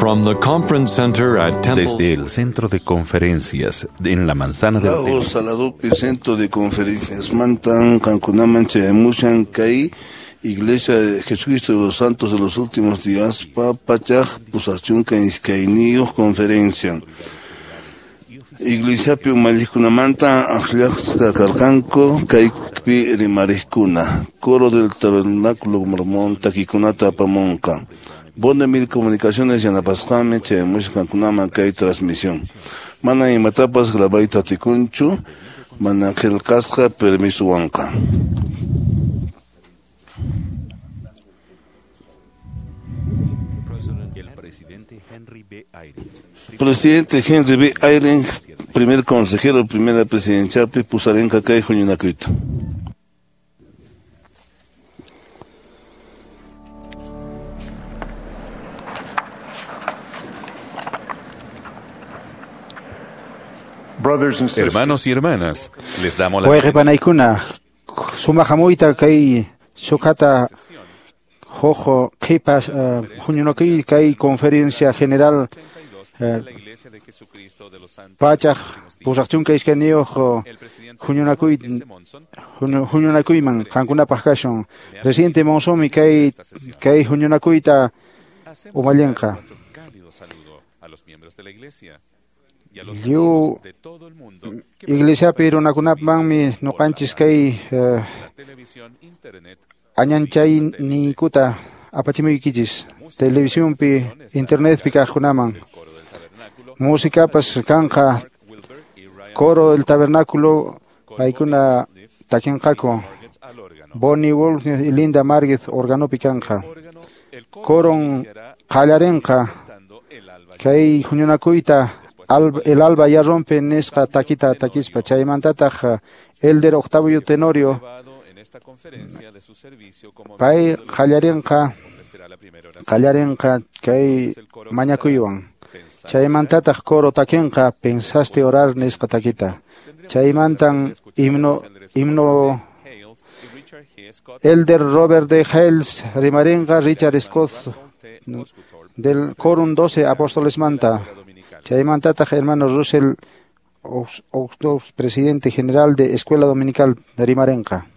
From the conference center at Temple Desde el centro de conferencias en la manzana del Lago Templo. Saladupi Centro de Conferencias Mantan Kankunaman Chayamushan Kay Iglesia de Jesucristo de los Santos de los Últimos Días Pa Pachaj Pusachunka Iskayniyuq Conferencia Iglesiapi umalliqkunamanta aqllasqa karqanku kaypi rimariqkuna Coro del Tabernáculo Mormón takikunata apamunqa Bondemil Comunicaciones yanapasqanmi chayamushan kankunaman kay transmisión Mana imatapas grabayta atikunchu mana qillqasqa permisuwanqa. El presidente Henry B. Eyring. Presidente Henry B. Eyring, primer consejero, primera presidenciapi pusarinqa kay huñunakuyta. Brothers and sisters, Hermanos y hermanas, les damos la Wayqi panaykuna sumaq hamuyta kay sukata huk qhipa huñunakuy kay conferencia general la Iglesia de Jesucristo de los Santos. pachaq pusaq chunka iskayniyuq El presidente huñunakuy S. Monson huñunakuyman qankunapaq kashun. Presidente Monzonmi kay kay huñunakuyta hacemos umallinqa. nuestro cálido saludo a los miembros de la Iglesia y a los Lliw amigos de todo el mundo que Iglesiapi runakunamanmi ñuqanchis kay la televisión, internet, añanchayniykuta apachimuykichis televisionpi internetpi kaqkunaman. el coro del tabernáculo, Musikapas kanqa Wilber y Ryan coro del tabernáculo paykuna takinqaku. Margetts al órgano. Bonnie Wolf y Linda Marguez organopi kanqa. Órgano, el coro Coron iniciará qallarinqa cantando el alba kay huñunakuyta el alba ya rompe nisqa takita takispa chaymantataq Elder Octavio Tenorio elevado en esta conferencia de su servicio como pay miembro de los qallarinqa ofrecerá la primera oración. qallarinqa kay mañakuywan. Chaymantataq coro takinqa pensaste orar nisqa takita. Chaymantan himno himno Hales y Richard G. Scott Elder Robert D. Hales rimarinqa Richard Scott T. Osguthorpe del Quórum 12 Apóstoles Manta. Dominical. Chaymantataq hermano Russell Oxdorf, presidente general de Escuela Dominical de Rimarenqa.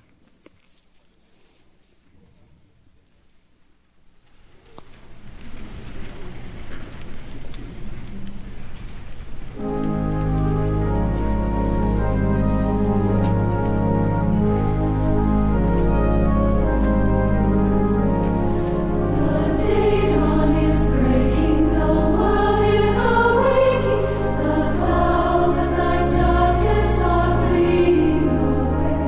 The dawn is breaking, the world is awaking, the clouds of night's darkness are fleeing away.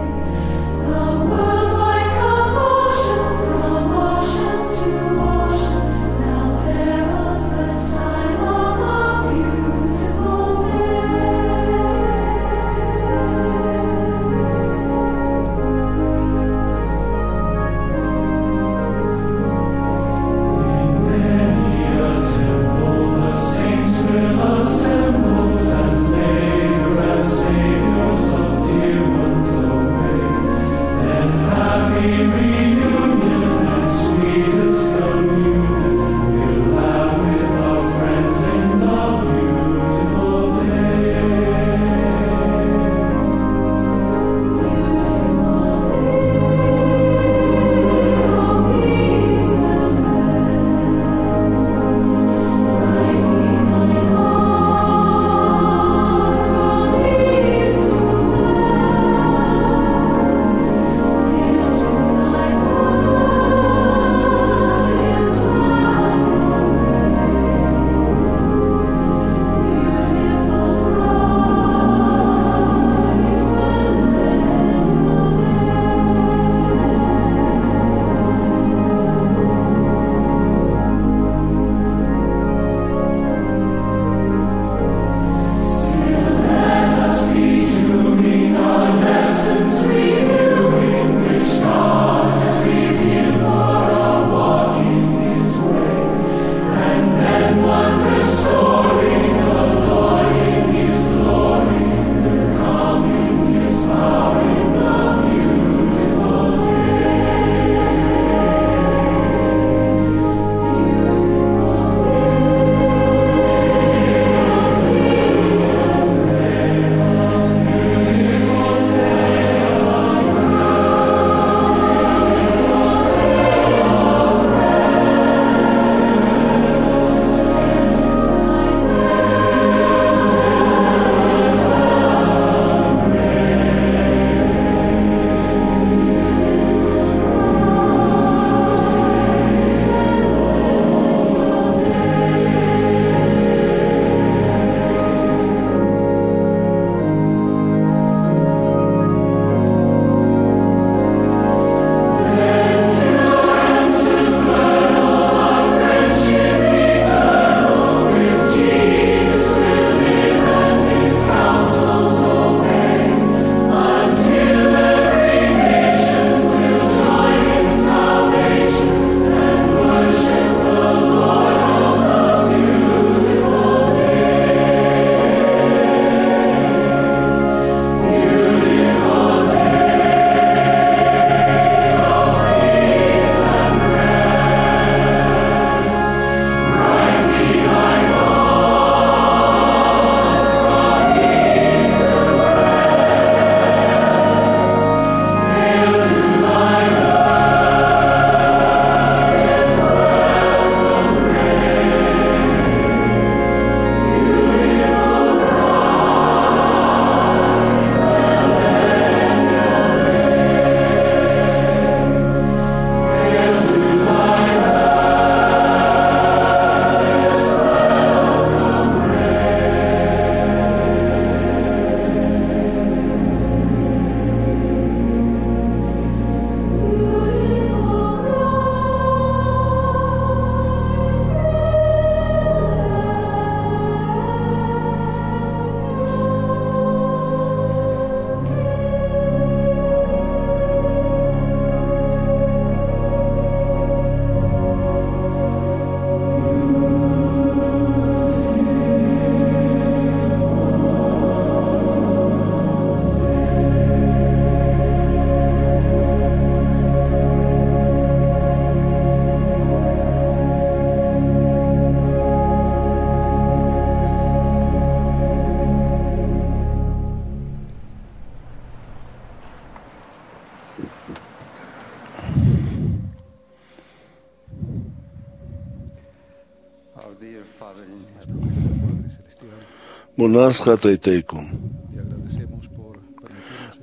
Munasqa taytayku.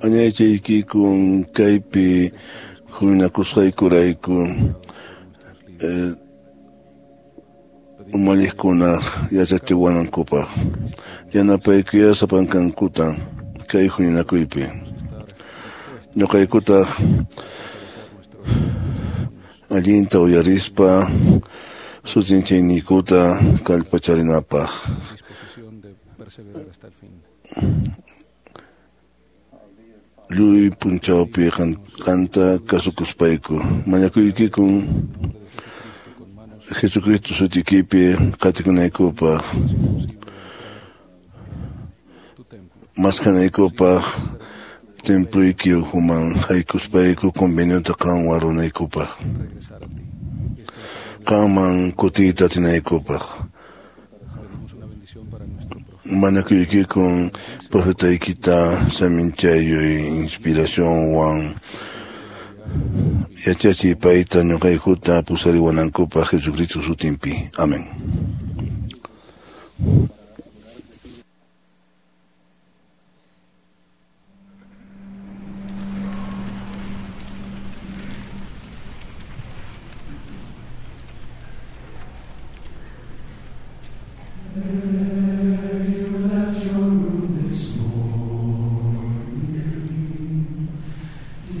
Añaychaykikun kaypi huñunakusqaykurayku umalliqkuna yachachiwanankupaq yanapaykuya sapankankuta kay huñunakuypi. Ñuqaykutaq allinta uyarispa sut'inchayniykuta kallpacharinapaq. Lluy punchawpi qanta kasukuspayku mañakuykikun Jesucristo sutikipi qatikunaykupaq maskanaykupaq templuyki ukhuman haykuspayku conveniota qanwan runaykupaq qanman kutiyta atinaykupaq mañakuykikun profetaykita saminchayuy inspiracionwan yachachiy payta ñuqaykuta pusariwanankupaq Jesucristo sutinpi. Amén.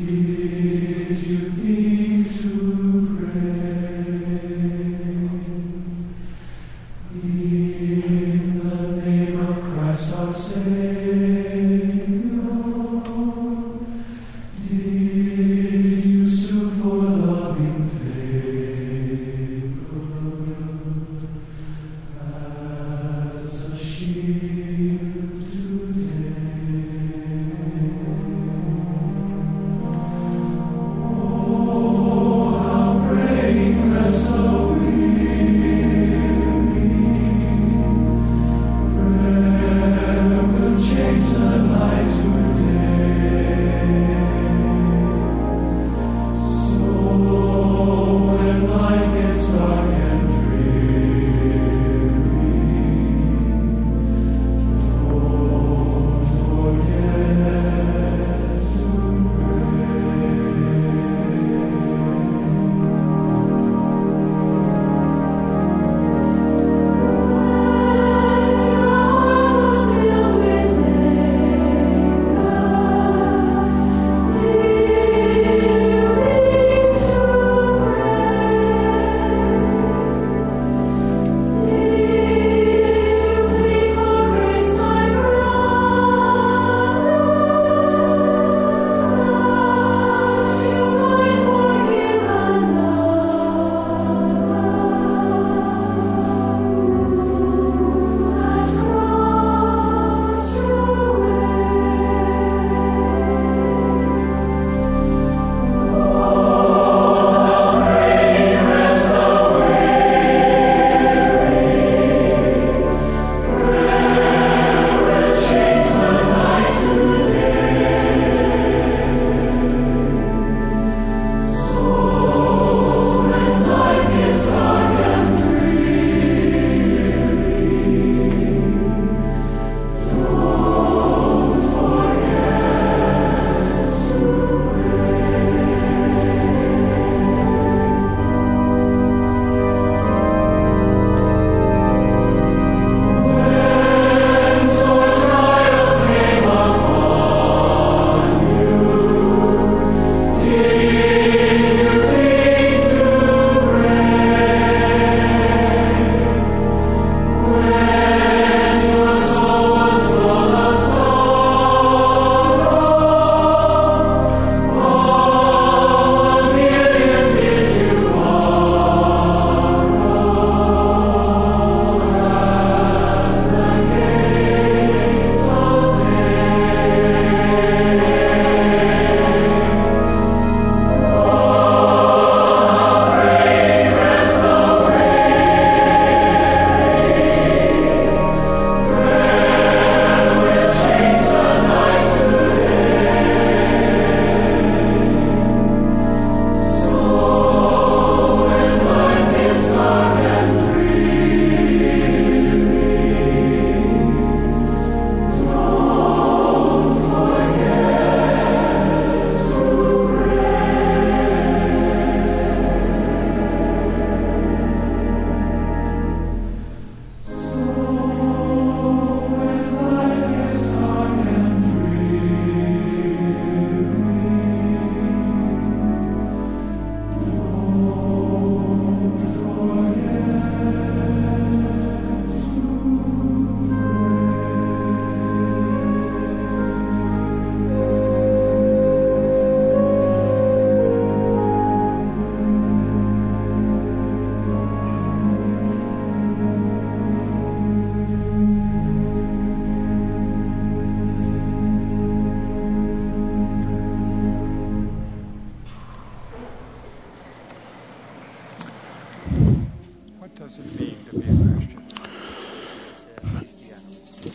Did you think to pray?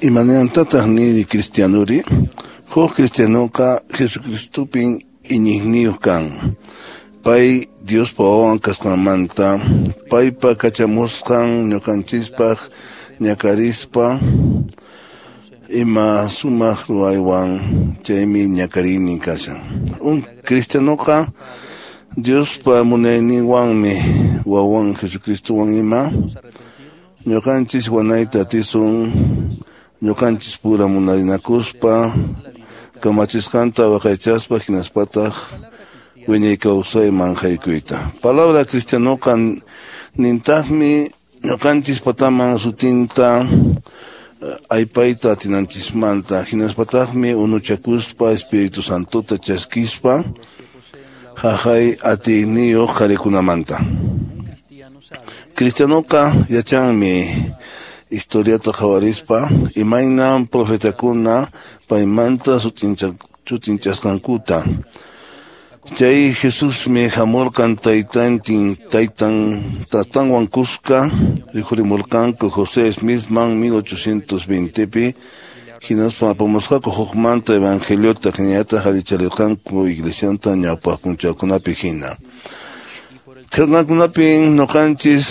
Imanantataq nini cristianuri? Huk cristianoqa Jesucristopin iñiqniyuq kan. Pay Diospa wawan kasqanmanta, paypa kachamusqan ñuqanchispaq ñakarispa ima sumaq ruwaywan chaymi ñakariynin kashan. Un cristianoqa Diospa munayninwanmi wawan Jesucristowan ima ñuqanchis wanayta atisun ñuqanchis pura munarinakuspa kamachisqanta waqaychaspa hinaspataq wiñay kawsayman haykuyta. Palabra cristianoqa nintaqmi ñuqanchis pataman sutinta aypayta atinanchismanta hinaspataqmi unuchakuspa Espíritu Santota chaskispa haqay atiyniyuq qharikunamanta. Cristianoqa yachanmi historiata qhawarispa imaynan profetakuna paymanta sutinchasqankuta. Chay Jesusmi hamurqan taytanwan kuska rikhurimurqanku José Smithman 1820pi hinaspa apamusqaku hukmanta evangeliota hinallataq allicharirqanku iglesianta ñawpaq p'unchawkunapi hina. Qillqankunapin ñuqanchis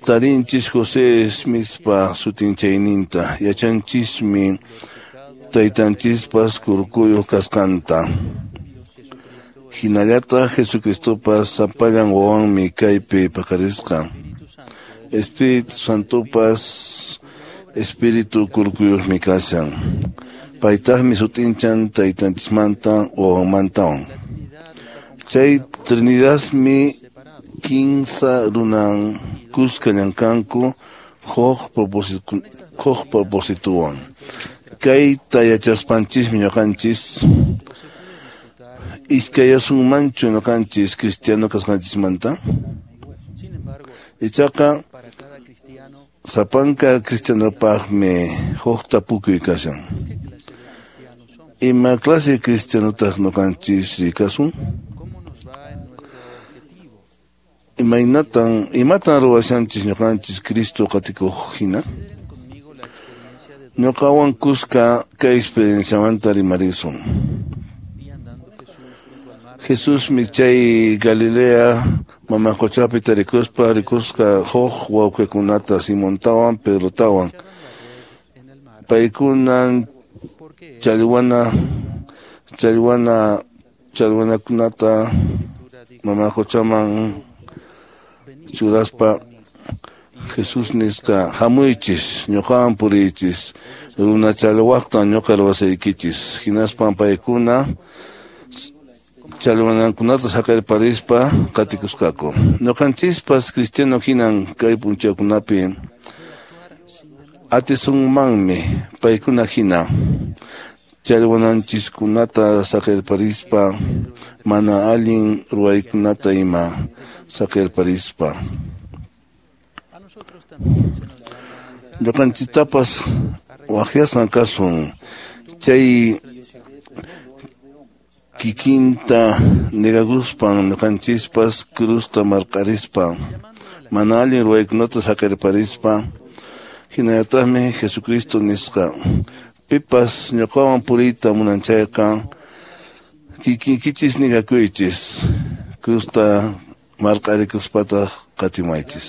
tarinchis José Smithpa sutinchayninta, yachanchismi taytanchispas kurkuyuq kasqanta. Hinallataq Jesucristopas sapallan wawanmi kaypi paqarisqa. Espíritu Santopas Espíritu kurkuyuqmi kashan. Paytaqmi sutinchan taytanchismanta wawanmantawan. Chay Trinidadmi kinsa runan kuska llamkanku huk proposituwan. Kayta yachaspanchismi ñuqanchis iskayasunmanchu ñuqanchis cristiano kasqanchismanta. Ichaqa sapanka cristianopaqmi huk tapukuy kashan. Ima clase cristianotaq ñuqanchis rikasun? Imatan ruwashanchis ñuqanchis Cristo qatikuq hina? Ñuqawan kuska kay experienciamanta rimarisun. Jesusmi chay Galilea mama quchapi tarikuspa rikusqa huk wawqikunata Simontawan Pedrotawan. Paykunan challwanakunata mama quchaman churaspa Jesús nisqa hamuychis ñuqawan puriychis runa challwaqtan ñuqa ruwasaykichis. Hinaspan paykuna challwanankunata saqirparispa qatikusqaku. Ñuqanchispas cristiano hinan kay p'unchawkunapi atisunmanmi paykuna hina challwananchiskunata saqirparispa mana allin ruwaykunata ima saqirparispa. Ñuqanchistapas waqyasqan kasun chay kikinta negakuspan ñuqanchispas crusta marqarispa mana allin ruwaykunata saqirparispa. Hinallataqmi Jesucristo nisqa pipas ñuqawan puriyta munan chayqa kikinkichis negakuychis crusta marqarikuspataq qatimaychis.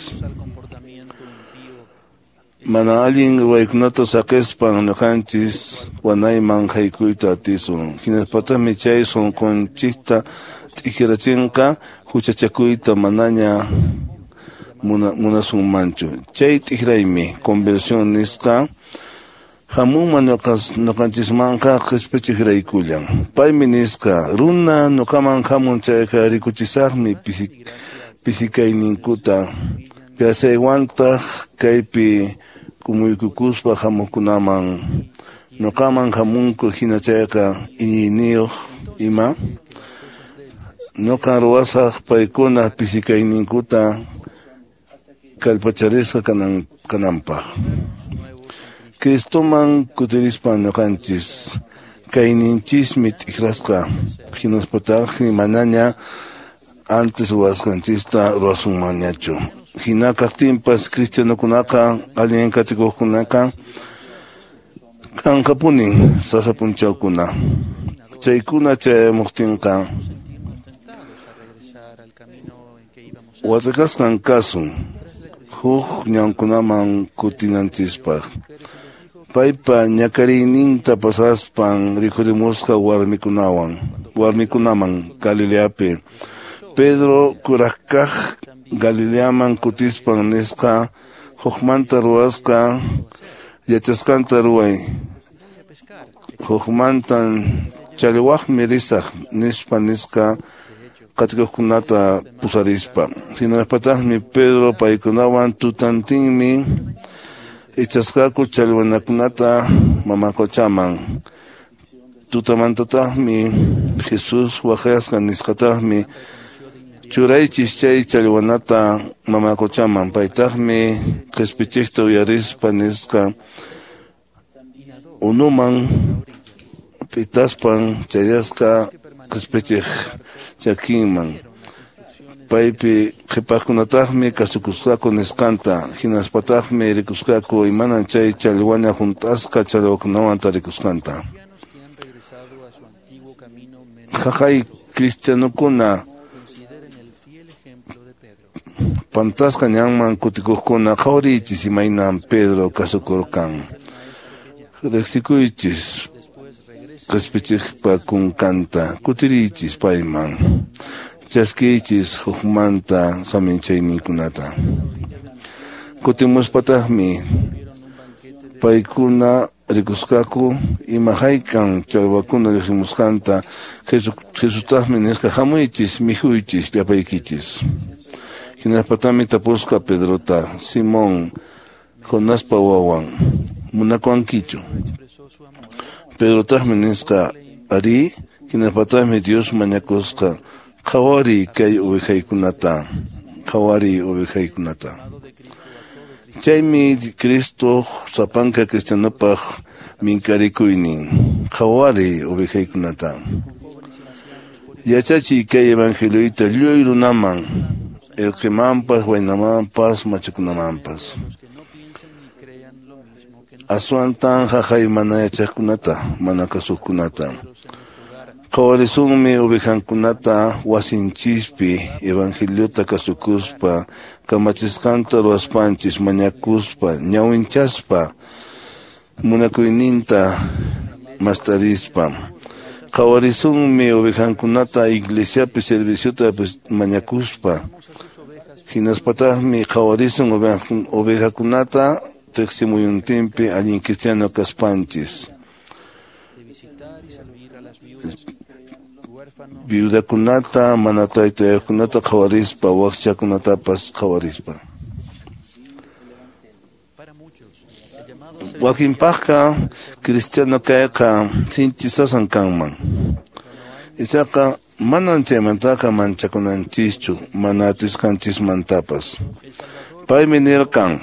Mana allin ruwaykunata saqispan ñuqanchis wanayman haykuyta atisun. Hinaspataqmi chay sunqunchikta t'ikrachinqa huchachakuyta manaña munasunmanchu. Chay t'ikraymi conversión nisqa hamunman ñuqanchismanqa qispichiqraykullan. Paymi nisqa runa ñuqaman hamun chayqa rikuchisaqmi pisikayninkuta Kasaywantaq kaypi kumuykukuspa hamuqkunaman ñuqaman hamunku hina chayqa iñiyniyuq ima ñuqan ruwasaq paykuna pisikayninkuta kallpacharisqa kananpaq. Cristoman kutirispa ñuqanchis kayninchismi t'ikrasqa hinaspataqmi manaña antes ruwasqanchista ruwasunmanñachu. Hina kaqtinpas cristianokunaqa allin qatikuqkunaqa kanqapunin sasa p'unchawkuna. Chaykuna chayamuqtinqa watakasqan kasun huk ñankunaman kutinanchispaq. Paypa ñakariyninta pasaspan rikhurimusqa warmikunaman Galileapi. Pedro kuraqkaq Galileaman kutispan nisqa hukmanta ruwasqa yachasqanta ruway. Hukmantan challwaqmi risaq nispa nisqa qatikuqkunata pusarispa. Hinaspataqmi Pedro paykunawan tutantinmi ichasqaku challwanakunata mama quchaman. Tutamantataqmi Jesús waqyasqa nisqataqmi churaychis chay challwanata mama quchaman. Paytaqmi qispichiqta uyarispa nisqa unuman p'itaspan chayasqa qispichiq chakinman. Paypi qhipaqkunataqmi kasukusqaku nisqanta, hinaspataqmi rikusqaku imanan chay challwana hunt'asqa challwakunawan tarikusqanta. Jaqay cristianokuna pantasqa ñanman kutikuqkuna qhawariychis imaynan Pedro kasukurqan. Riqsikuychis qispichiqpa kunkanta, kutiriychis payman. Chaskiychis hukmanta saminchayninkunata. Kutimuspataqmi paykuna rikusqaku ima haykan challwakuna lluqsimusqanta. Jesustaqmi nisqa hamuychis mikhuychis llapaykichis. Hinaspataqmi tapusqa Pedrota: Simón, Jonaspa wawan, munakuwankichu? Pedrotaqmi nisqa arí. Hinaspataqmi Dios mañakusqa: qhawariy kay ovejaykunata, qhawariy ovejaykunata. Chaymi Cristo sapanka cristianopaq minkarikuynin: qhawariy ovejaykunata. Yachachiy kay evangelioyta lluy runaman, irqimanpas, waynamanpas, machukunamanpas. Aswantan jaqay mana yachaqkunata, mana kasuqkunata. Qhawarisunmi ovejankunata wasinchispi evangeliota kasukuspa, kamachisqanta ruwaspanchis, mañakuspa, ñawinchaspa, munakuyninta mastarispa. Qhawarisunmi ovejankunata iglesiapi serviciota mañakuspa. Hinaspataqmi qhawarisun ovejakunata teqsimuyuntinpi allin cristiano kaspanchis. Viudakunata, mana taytayuqkunata qhawarispa, wakchakunatapas qhawarispa. Wakinpaqqa cristiano kayqa sinchi sasan kanman. Ichaqa manan chaymantaqa manchakunanchischu, mana atisqanchismantapas. Paymi nirqan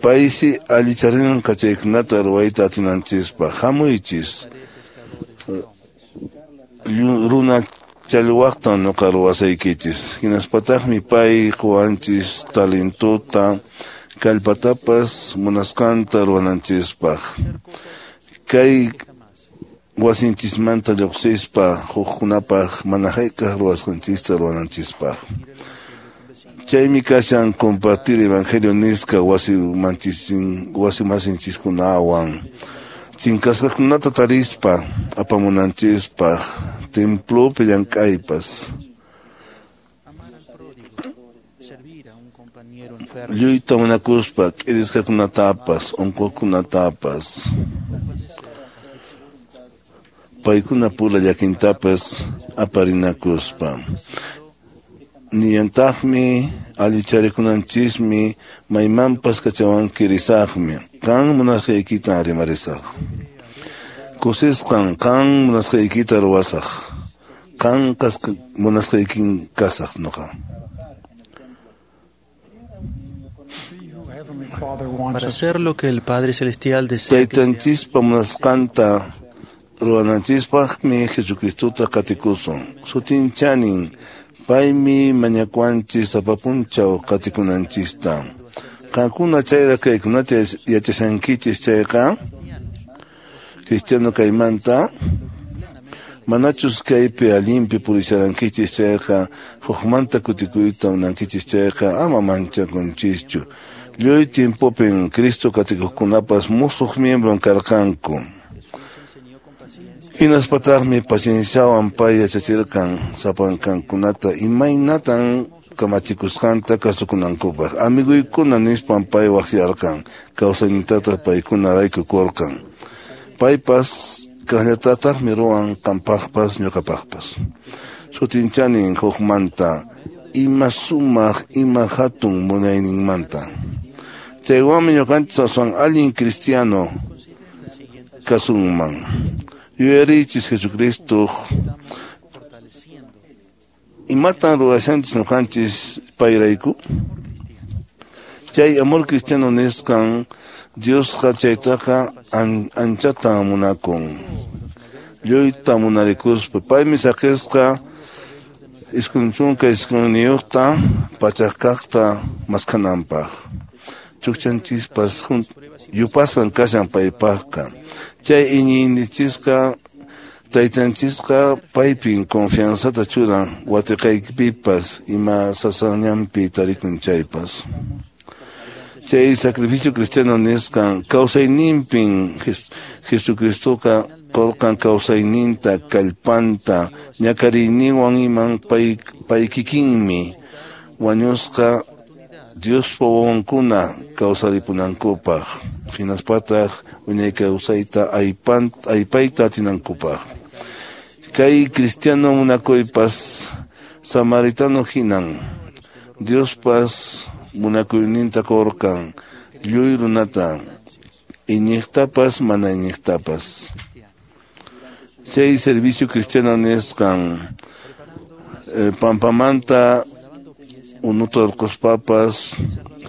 paysi allicharinqa chaykunata ruwayta atinanchispaq. Hamuychis runa challwaqtan nuqa ruwasaykichis. Hinaspataqmi pay quwanchis talentota, kallpatapas munasqanta ruwananchispaq. Kay wasinchismanta lluqsispa hukkunapaq mana hayk'aq ruwasqanchista ruwananchispaq. Chaymi kashan compartir evangelio nisqa wasimasinchikunawan. Chinkasqakunata tarispa apamunanchispaq, templopi llank'aypas. Lluyta munakuspa k'irisqakunatapas, unquqkunatapas, paykuna pura llakintapas aparinakuspa. Niyantaqmi allicharikunanchismi maymanpas kachawanki risaqmi. Qan munasqaykita rimarisaq. Kusisqan qan munasqaykita ruwasaq. Qan munasqaykin kasaq noqa. Para hacer lo que el Padre Celestial desea. Taytanchispa munasqanta ruwananchispaqmi Jesucristota qatikusun. Sutinchanin Paymi mañakuanchis sapa p'unchaw qatikunanchista. Qankuna chayra kaykunata yachashankichis chayqa cristiano kaymanta manachus kaypi allinpi purisharankichis chayqa hukmanta kutikuyta munankichis chayqa ama manchakunchischu. Lluy tiempopin Cristo qatikuqkunapas musuq miembron karqanku. Hinaspataqmi pacienciawan pay yachachirqan sapankankunata imaynatan kamachikusqanta kasukunankupaq. Amiguykuna nispan pay waqyarqan, kawsaynintataq paykunarayku kurqan. Paypas kaqllatataqmi ruwan qampaqpas ñuqapaqpas. Sutinchanin hukmanta ima sumaq ima hatun munayninmanta. Chaywanmi ñuqanchis aswan allin cristiano kasunman. Yuyarichis Jesucristo imatan ruwashanchis ñuqanchis payrayku. Chay amor cristiano nisqan Diosqa chaytaqa anchata munakun. Lluyta munarikuspa paymi saqisqa 99ta pachaq kaqta maskhananpaq. Chukchanchispas yupasan kashan paypaqqa. Chay iñiynichisqa taytanchisqa paypin confianzata churan watiqaypipas ima sasañanpi tarikun chaypas. Chay sacrificio cristiano nisqan kawsayninpin Jesucristoqa qurqan kawsayninta kallpanta ñakariyninwan iman pay kikinmi wañusqa Diospa wawankuna kawsaripunankupaq hinaspataq wiñay kawsayta aypayta atinankupaq. Kay cristiano munakuypas samaritano hinan Diospas munakuyninta qurqan lluy runata iñiqtapas mana iñiqtapas. Chay servicio cristiano nisqan pampamanta unuta urquspapas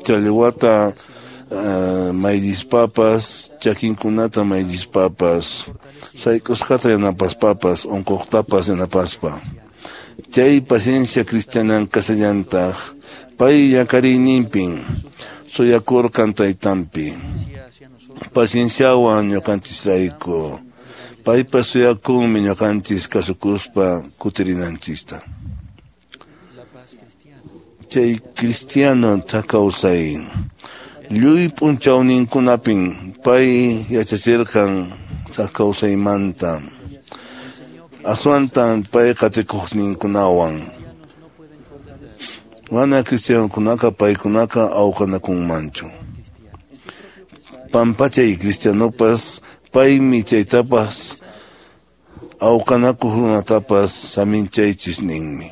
challwata mayllispapas chakinkunata mayllispapas sayk'usqata yanapaspapas unquqtapas yanapaspa. Chay paciencia cristianan kasallantaq pay llakariyninpin suyakurqan taytanpi. Pacienciawan ñuqanchisrayku paypas suyakunmi ñuqanchis kasukuspa kutirinanchista. Chay cristiano kawsay lluy p'unchawninkunapin pay yachachirqan kawsaymanta. Aswantan pay qatikuqninkunawan. Mana cristianokunaqa paykunaqa awqanakunmanchu. Pampachay cristianopas paymi chaytapas awqanakuq runatapas saminchaychis ninmi.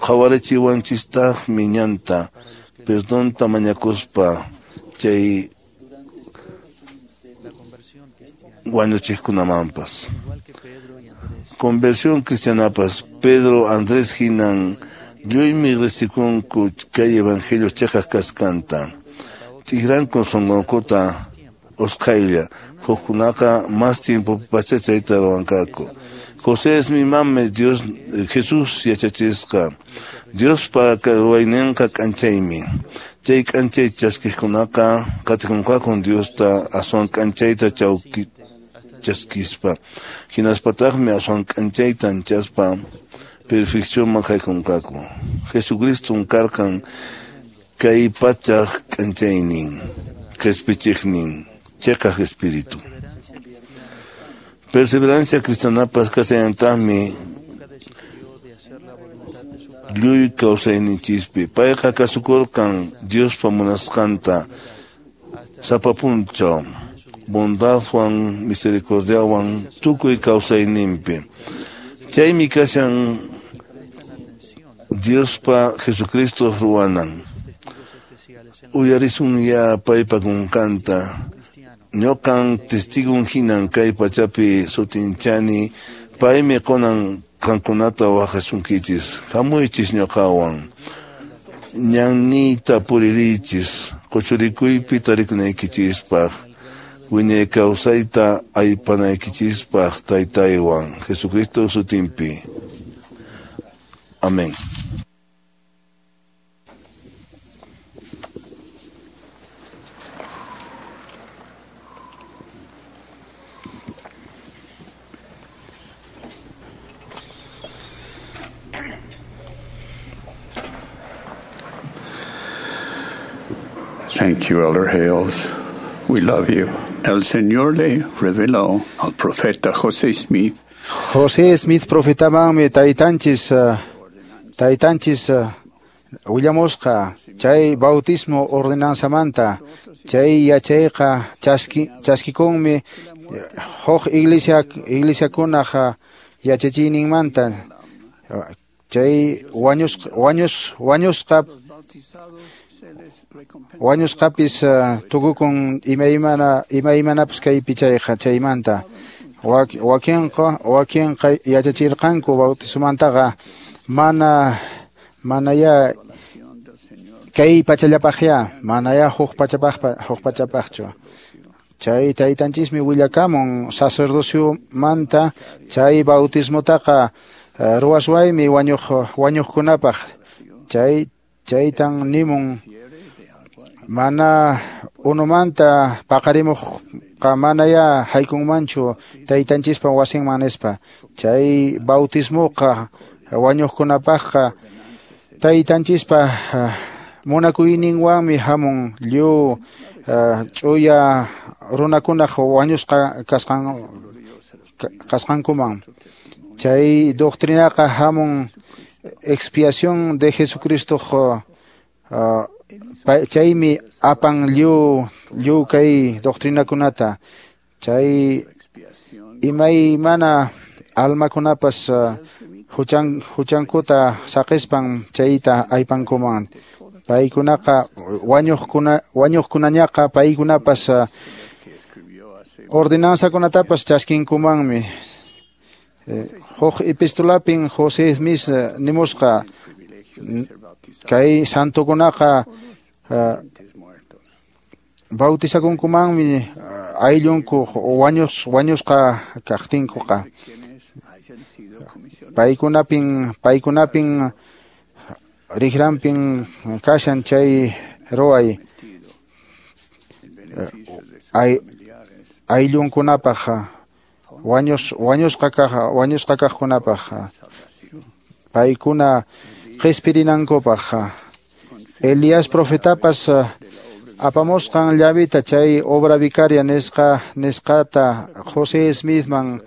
Qhawarichiwanchistaqmi ñanta perdonta mañakuspa chay wañuchiqkunamanpas. Conversión cristianapas Pedro Andrés hinan lluymi riqsikunku kay evangelio chiqaq kasqanta. T'ikrankun sunqunkuta usqhaylla hukkunaqa mas tiempopipaschá chayta ruwanqaku. José es mi mame Dios Jesús yachachisqa. Diospa ruwayninqa k'anchaymi. Chay k'anchay chaskiqkunaqa qatikunqakun Diosta aswan k'anchayta chaskispa. Hinaspataqmi aswan k'anchayta anchaspa perfeccionman haykunqaku. Jesucriston karqan kay pachaq k'anchaynin, qhispichiqnin, chiqaq espíritu. Perseverancia cristianapas kasallantaqmi lluy kawsayninchispi. Payqa kasukurqan Diospa munasqanta sapa p'unchaw bondadwan misericordiawan tukuy kawsayninpi. Chaymi kashan Diospa Jesucristo ruwanan. Uyarisun ya paypa kunkanta. Ñuqan testigun hinan kay pachapi sutinchani paymi qunan qankunata waqasunkichis. Hamuychis ñuqawan. Ñanniyta puririychis quchurikuypi tarikunaykichispaq. Wiñay kawsayta aypanaykichispaq Taytaywan Jesucristo sutinpi. Amén. Thank you, Elder Hales. We love you. El Señor le reveló al profeta José Smith. José Smith profetamanmi taytanchis willamusqa chay bautismo ordenanzamanta chay yachayqa chaskikunmi huk iglesiakunaq yachachiyninmanta chay wañusqapis tukukun imaymanapas kaypi chayqa chaymanta wakinqa yachachirqanku bautismomantaqa manaya kay pachallapaqya manaya huk pachapaqchu chay taytanchismi willakamun sacerdociomanta chay bautismotaqa ruwaswaymi wañuqkunapaq chaytan nimun mana unumanta paqarimuqqa manaya haykunmanchu taytanchispa wasinman nispa chay bautismoqa wañuqkunapaqqa taytanchispa munakuyninwanmi hamun lliw ch'uya runakunaq wañusqa kasqankuman chay doctrinaqa hamun expiación de Jesucristo chaymi apan lliw kay doctrinakunata chay imaymana almakunapas huchankuta saqispan chayta aypankuman paykunaqa wañuqkunañaqa paykunapas ordenanzakunatapas chaskinkumanmi huk epistolapin José Smith nimusqa kay santokunaqa bautizakunkumanmi ayllunku wañusqa kaqtinkuqa paykunapin rijranpin kashan chay ruway ayllunkunapaq wañusqa kaqkunapaq paykuna qispirinankupaq Elías profetapas apamusqan llavita chay obra vicaria nisqata José Smithman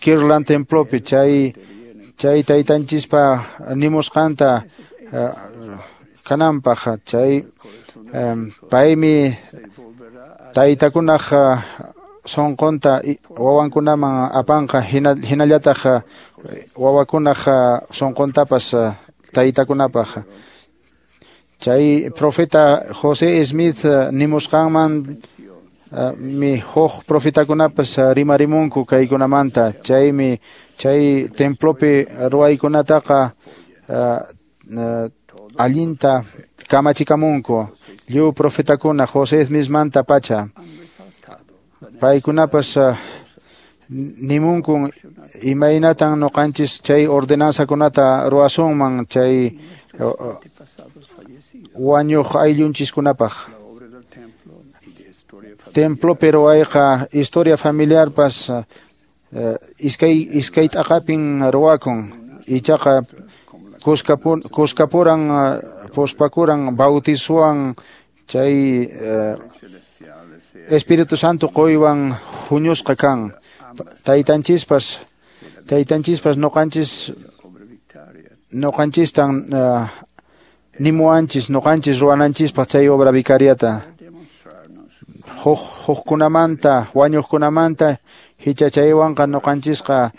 Kirtland templopi chay taytanchispa nimusqanta kananpaq chay paymi taytakunaq sunqunta wawankunaman apanqa hinallataq wawakunaq sunquntapas taytakunapaq chay profeta José Smith nimusqanman mi huk profetakunapas rimarimunku kaykunamanta chaymi chay templopi ruwaykunataqa allinta kamachikamunku lliw profetakuna José Smithmanta pacha paykunapas nimunkun imaynatan ñuqanchis chay ordenanzakunata ruwasunman chay wañuq ayllunchiskunapaq templopi ruwayqa historia familiarpas iskay t'aqapin ruwakun ichaqa kuskapuran puspakuran bautizowan chay Espíritu Santo quywan huñusqa kan taytanchispas ñuqanchistan nimuwanchis ñuqanchis ruwananchispaq chay obra vicariata hukkunamanta wañuqkunamanta hichachaywanqa ñuqanchisqa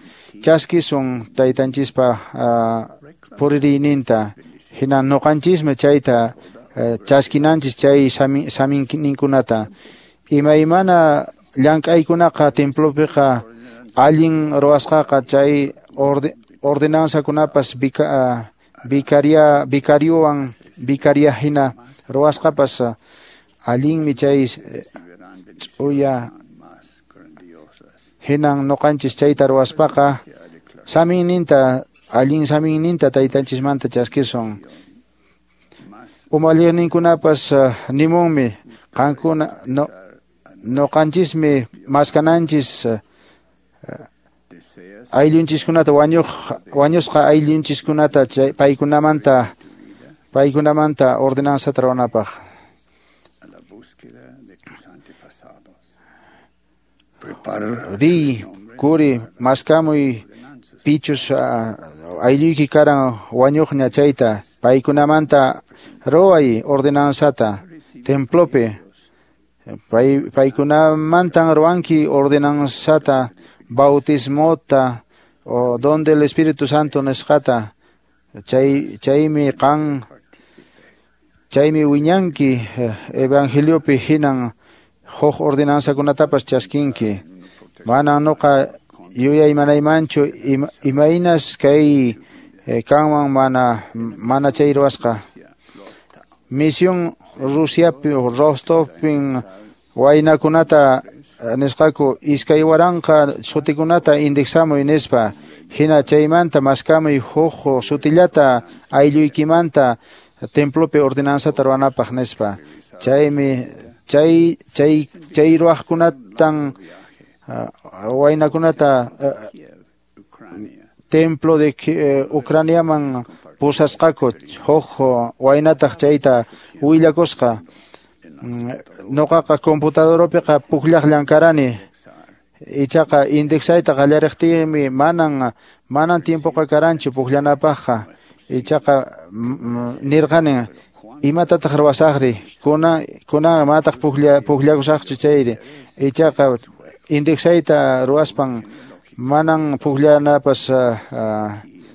chaskisun taytanchispa puririyninta hina ñuqanchismi chayta chaskinanchis chay saminninkunata imaymana llank'aykunaqa templopiqa allin ruwasqaqa chay ordenanzakunapas vicariowan vicaria hina ruwasqapas allinmi chay ch'uya hinan noqanchis chayta ruwaspaqa saminninta allin saminninta taytanchismanta chaskisun. Umalliqninkunapas nimunmi qankuna noqanchismi maskananchis ayllunchiskunata wañusqa ayllunchiskunata paykunamanta ordenanzata ruwanapaq. Riy kuri maskamuy pichus aylluyki karan wañuqña chayta paykunamanta ruway ordenanzata templopi paykunamantan ruwanki ordenanzata bautismota o donde el Espíritu Santo nisqata chaymi qan chaymi wiñanki evangeliopi hinan huk ordenanzakunatapas chaskinki. Mana noqa yuyaymanaymanchu imaynas kay kanman mana chay ruwasqa. Misión Rusiapi Rostovpin waynakunata nisqaku 2000 sutikunata indexamuy nispa hina chaymanta maskamuy huk sutillata aylluykimanta templopi ordenanzata ruwanapaq nispa. Chaymi chay ruwaqkunatan waynakunata templo de Ucraniaman pusasqaku huk waynataq chayta willakusqa. Noqaqa computadorapiqa pukllaqllan karani ichaqa indexayta qallariqtiymi manan tiempoqa karanchu pukllanapaqqa ichaqa nirqani imatataq ruwasaqri kunan manataq pukllakusaqchu chayri ichaqa indexayta ruwaspan manan pukllanapas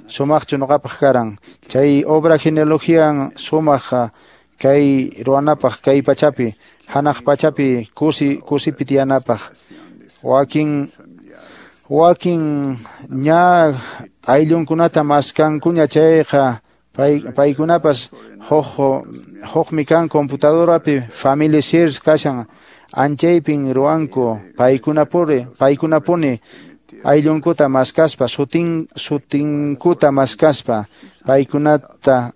sumaqchu noqapaq karan. Chay obra genealogian sumaq kay ruwanapaq kay pachapi hanaq pachapi kusipi tiyanapaq. Wakin ña ayllunkunata maskankuña chayqa paykunapas hukmi kan computadorapi family search kashan anchaypin ruwanku paykunapuni ayllunkuta maskaspa sutinkuta maskaspa paykunata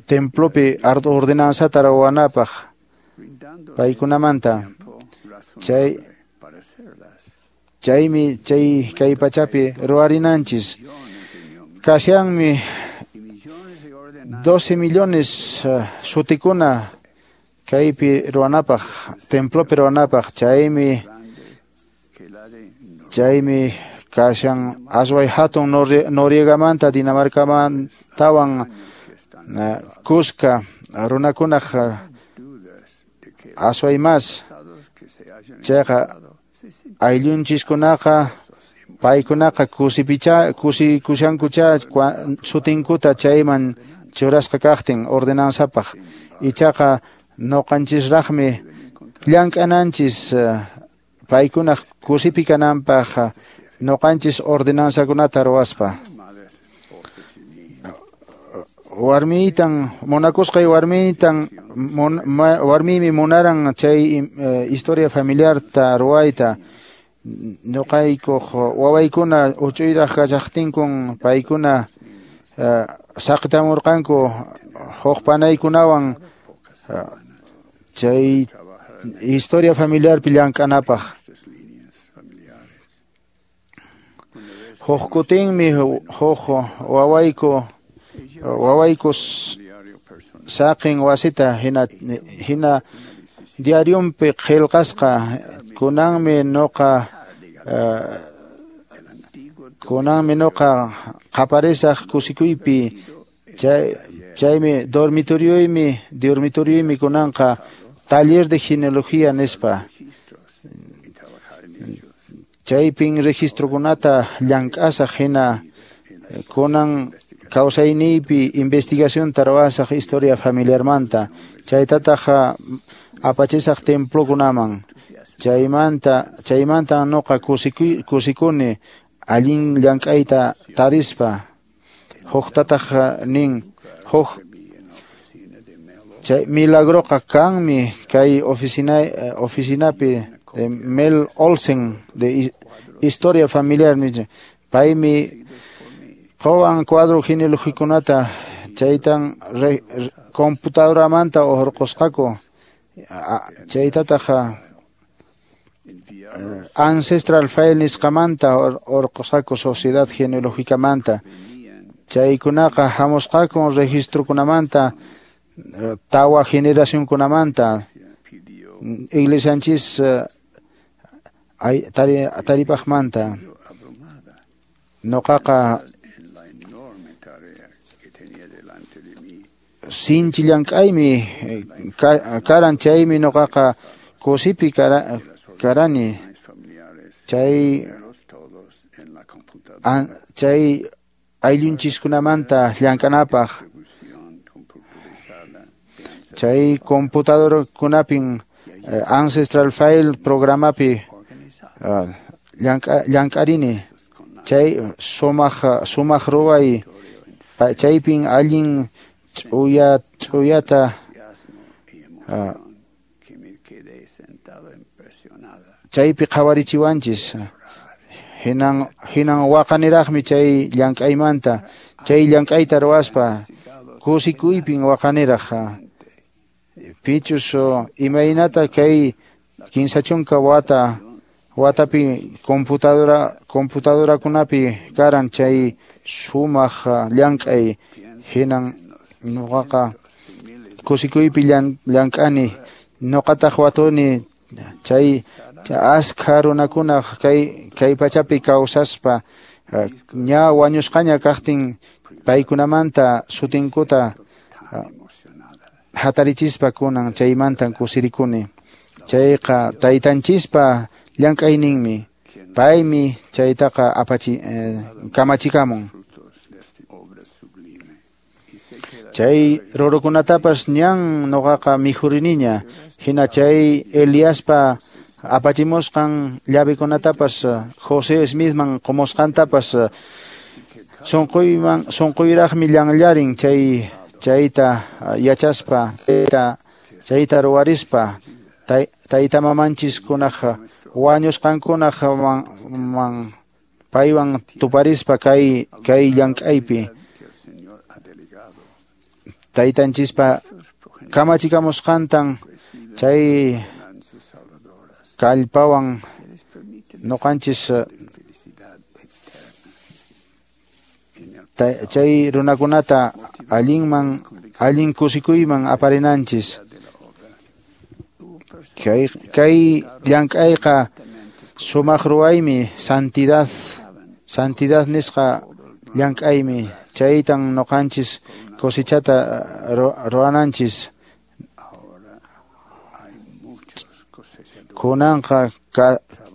templopi ordenanzata ruwanapaq paykunamanta. Chaymi chay kay pachapi ruwarinanchis. Kashanmi 12 millones sutikuna kaypi ruwanapaq templopi ruwanapaq chaymi kashan asway hatun Noriegamanta Dinamarcamantawan kuska runakunaq asway mas chayqa ayllunchiskunaqa paykunaqa kushankucha sutinkuta chayman churasqa kaqtin ordenanzapaq ichaqa noqanchisraqmi llank'ananchis paykunaq kusipi kananpaq noqanchis ordenanzakunata ruwaspa. Warmiytan munakusqay warmiytan warmiymi munaran chay historia familiarta ruwayta noqaykuq wawaykuna uch'uyraq kashaqtinkun paykuna saqtamurqanku huk panaykunawan chay historia familiarpi llank'anapaq. Huk kutinmi huk wawayku saqin wasita hina diariumpi qillqasqa kunanmi noqa qaparisaq kusikuypi chaymi dormitorioymi kunanqa taller de genealogía nispa chaypin registrokunata llank'asaq hina kunan kawsayniypi investigacionta ruwasaq historia familiarmanta chaytataq apachisaq templokunaman chaymanta noqa kusikuni allin llank'ayta tarispa huktataq nin huk chay milagroqa kanmi kay oficinapi de Mel Olsen de Historia Familiar paymi qowan cuadro genealogikunata chaytan computadoramanta hurqusqaku chaytataq ancestral file nisqamanta hurqusqaku sociedad genealogicamanta chaykunaqa hamusqaku registrokunamanta tawa generacionkunamanta iglesianchis taripaqmanta noqaqa sinchi llank'aymi karan chaymi noqaqa kusipi karani chay chay ayllunchiskunamanta llank'anapaq chay computadorkunapin ancestral file programapi llank'arini chay sumaq ruway chaypin allin ch'uyata chaypi qhawarichiwanchis hinan waqaniraqmi chay llank'aymanta chay llank'ayta ruwaspa kusikuypin waqaniraq pichus imaynata kay 30 watapi computadorakunapi karan chay sumaq llank'ay hinan noqaqa kusikuypi llank'ani noqataq watuni chay askha runakunaq kay pachapi kawsaspa ña wañusqaña kaqtin paykunamanta sutinkuta hatarichispa kunan chaymantan kusirikuni chayqa taytanchispa llank'ayninmi paymi chaytaqa kamachikamun chay rurukunatapas ñan noqaqa mikhuriniña hina chay Eliaspa apachimusqan llavikunatapas José Smithman qumusqantapas sunquyraqmi llanllarin chayta yachaspa chayta ruwarispa tayta mamanchiskunaq wañusqankunaq man paywan tuparispa kay llank'aypi taytanchispa kamachikamusqantan chay kallpawan noqanchis chay runakunata allin kusikuyman aparinanchis kay llank'ayqa sumaq ruwaymi santidad nisqa llank'aymi chaytan noqanchis cosechata ruwananchis kunanqa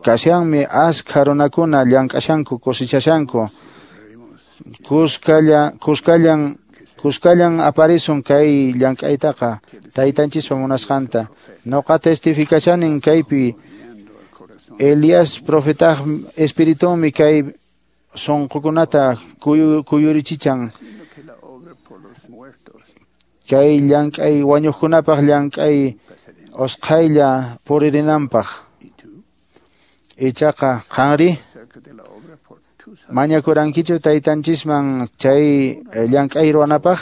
kashanmi askha runakuna llank'ashanku cosechashanku kuskallan aparisun kay llank'aytaqa taytanchispa munasqanta noqa testificachanin kaypi Elías profetaq espiritunmi kay sunqukunata kuyurichichan kay llank'ay wañuqkunapaq llank'ay usqhaylla puririnanpaq ichaqa qanri mañakurankichu taytanchisman chay llank'ay ruwanapaq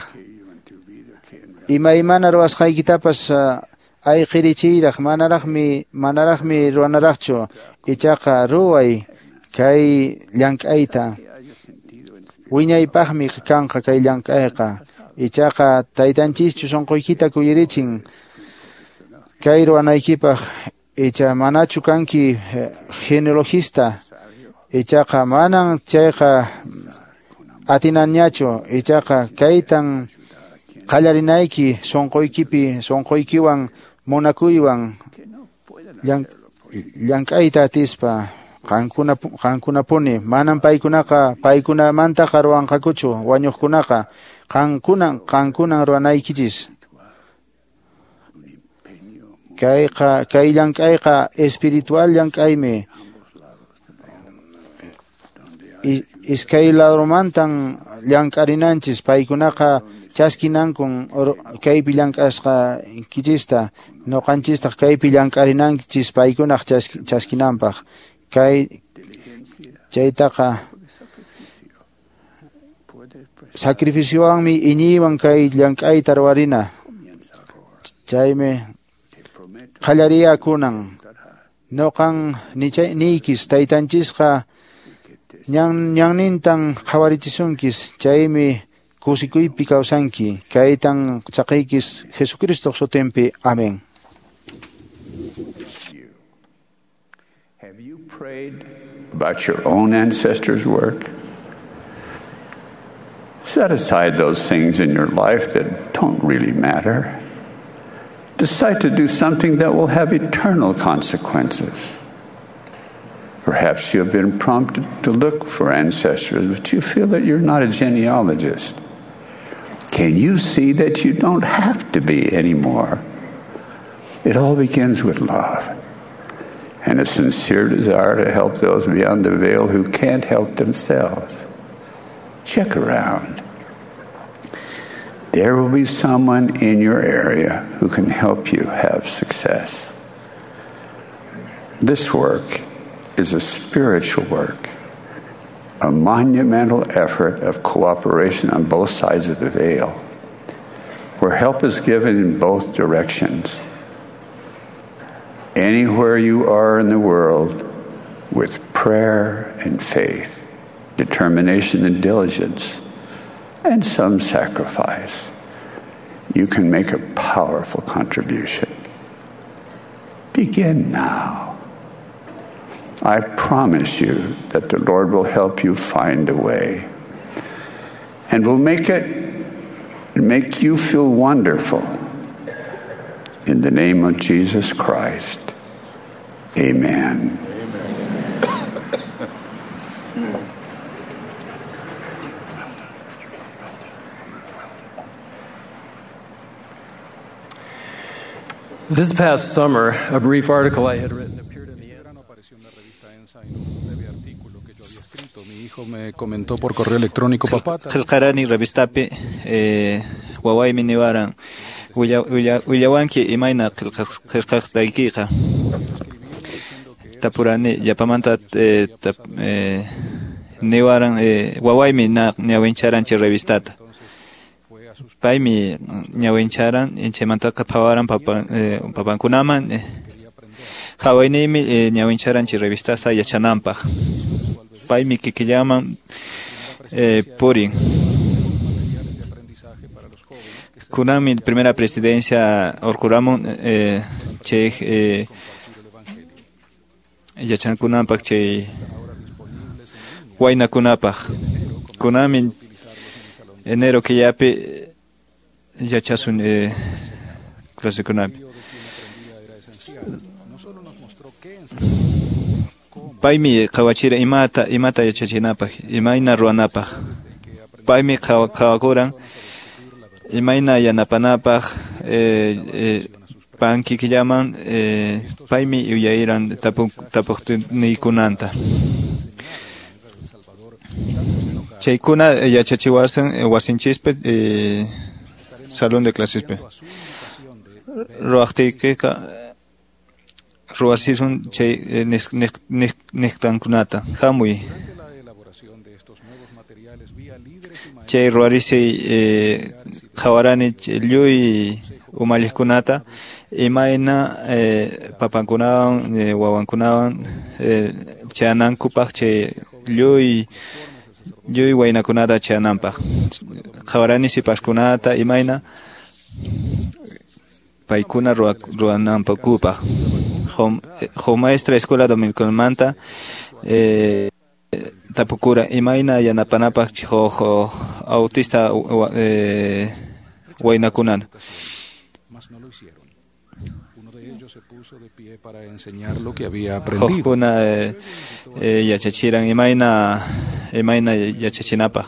imaymana ruwasqaykitapas ayqirichiyraq manaraqmi ruwanaraqchu ichaqa ruway kay llank'ayta wiñaypaqmi kanqa kay llank'ayqa ichaqa taytanchischu sunquykita kuyurichin kay ruwanaykipaq icha manachu kanki genealogista ichaqa manan chayqa atinanñachu ichaqa kaytan qallarinayki sunquykipi sunquykiwan munakuywan llank'ayta atispa qankunapuni manan paykunamantaqa ruwanqakuchu wañuqkunaqa qankunan ruwanaykichis kay llank'ayqa espiritual llank'aymi Iskay ladomantan llank'arinanchis, paykunaqa chaskinankun kaypi llank'asqa kichista, noqanchistaq kaypi llank'arinanchis paykunaq chaskinanpaq. Kay chaytaqa sacrificiowanmi iñiywan kay llank'ayta ruwarina. Chaymi qallariyakunan. Noqan niykis taytanchisqa ñannintan qhawarichisunkis, chaymi kusikuypi kawsanki. Kaytan chaqiykis Jesucristoq sutinpi. Amén. Have you prayed about your own ancestors' work? Set aside those things in your life that don't really matter. Decide to do something that will have eternal consequences. Perhaps you have been prompted to look for ancestors, but you feel that you're not a genealogist. Can you see that you don't have to be anymore? It all begins with love and a sincere desire to help those beyond the veil who can't help themselves. Check around. There will be someone in your area who can help you have success. This work is a spiritual work, a monumental effort of cooperation on both sides of the veil, where help is given in both directions. Anywhere you are in the world, with prayer and faith, determination and diligence, and some sacrifice, you can make a powerful contribution. Begin now. I promise you that the Lord will help you find a way and will make you feel wonderful. In the name of Jesus Christ, amen. This past summer, a brief article I had written appeared in the Qillqarani revistapi wawaymi niwaran willawanki imayna qillqasqaykiqa. Tapurani llapamanta niwaran wawaymi ñawincharan chay revistata. Paymi ñawincharan chaymantaqa phawaran papankunaman hawayniymi ñawincharan chay revistata yachananpaq. Paymi kikillaman purin. Kunanmi primera presidencia urquramun chay yachankunanpaq chay waynakunapaq. Kunanmi enero killapi yachasun clasekunapi. Paymi qhawachira imata yachachinapaq, imayna ruwanapaq. Paymi qhawakuran imayna yanapanapaq pankikillaman paymi yuyayran tapuqniykunanta. Chaykuna yachachiwasun wasinchispi salón de clasespi. Ruwaqtiykiqa ruwasisun chay niqtankunata. Hamuy. Chay ruwarisiy qhawarani lluy umalliqkunata imayna papankunawan wawankunawan chayanankupaq chay lluy waynakunata chayananpaq. Qhawarani sipaskunata imayna paykuna ruwanankupaq. Huk maestra escuela dominicalmanta tapukura imayna yanapanapaq huk autista waynakunan. Hukkuna yachachiran imayna yachachinapaq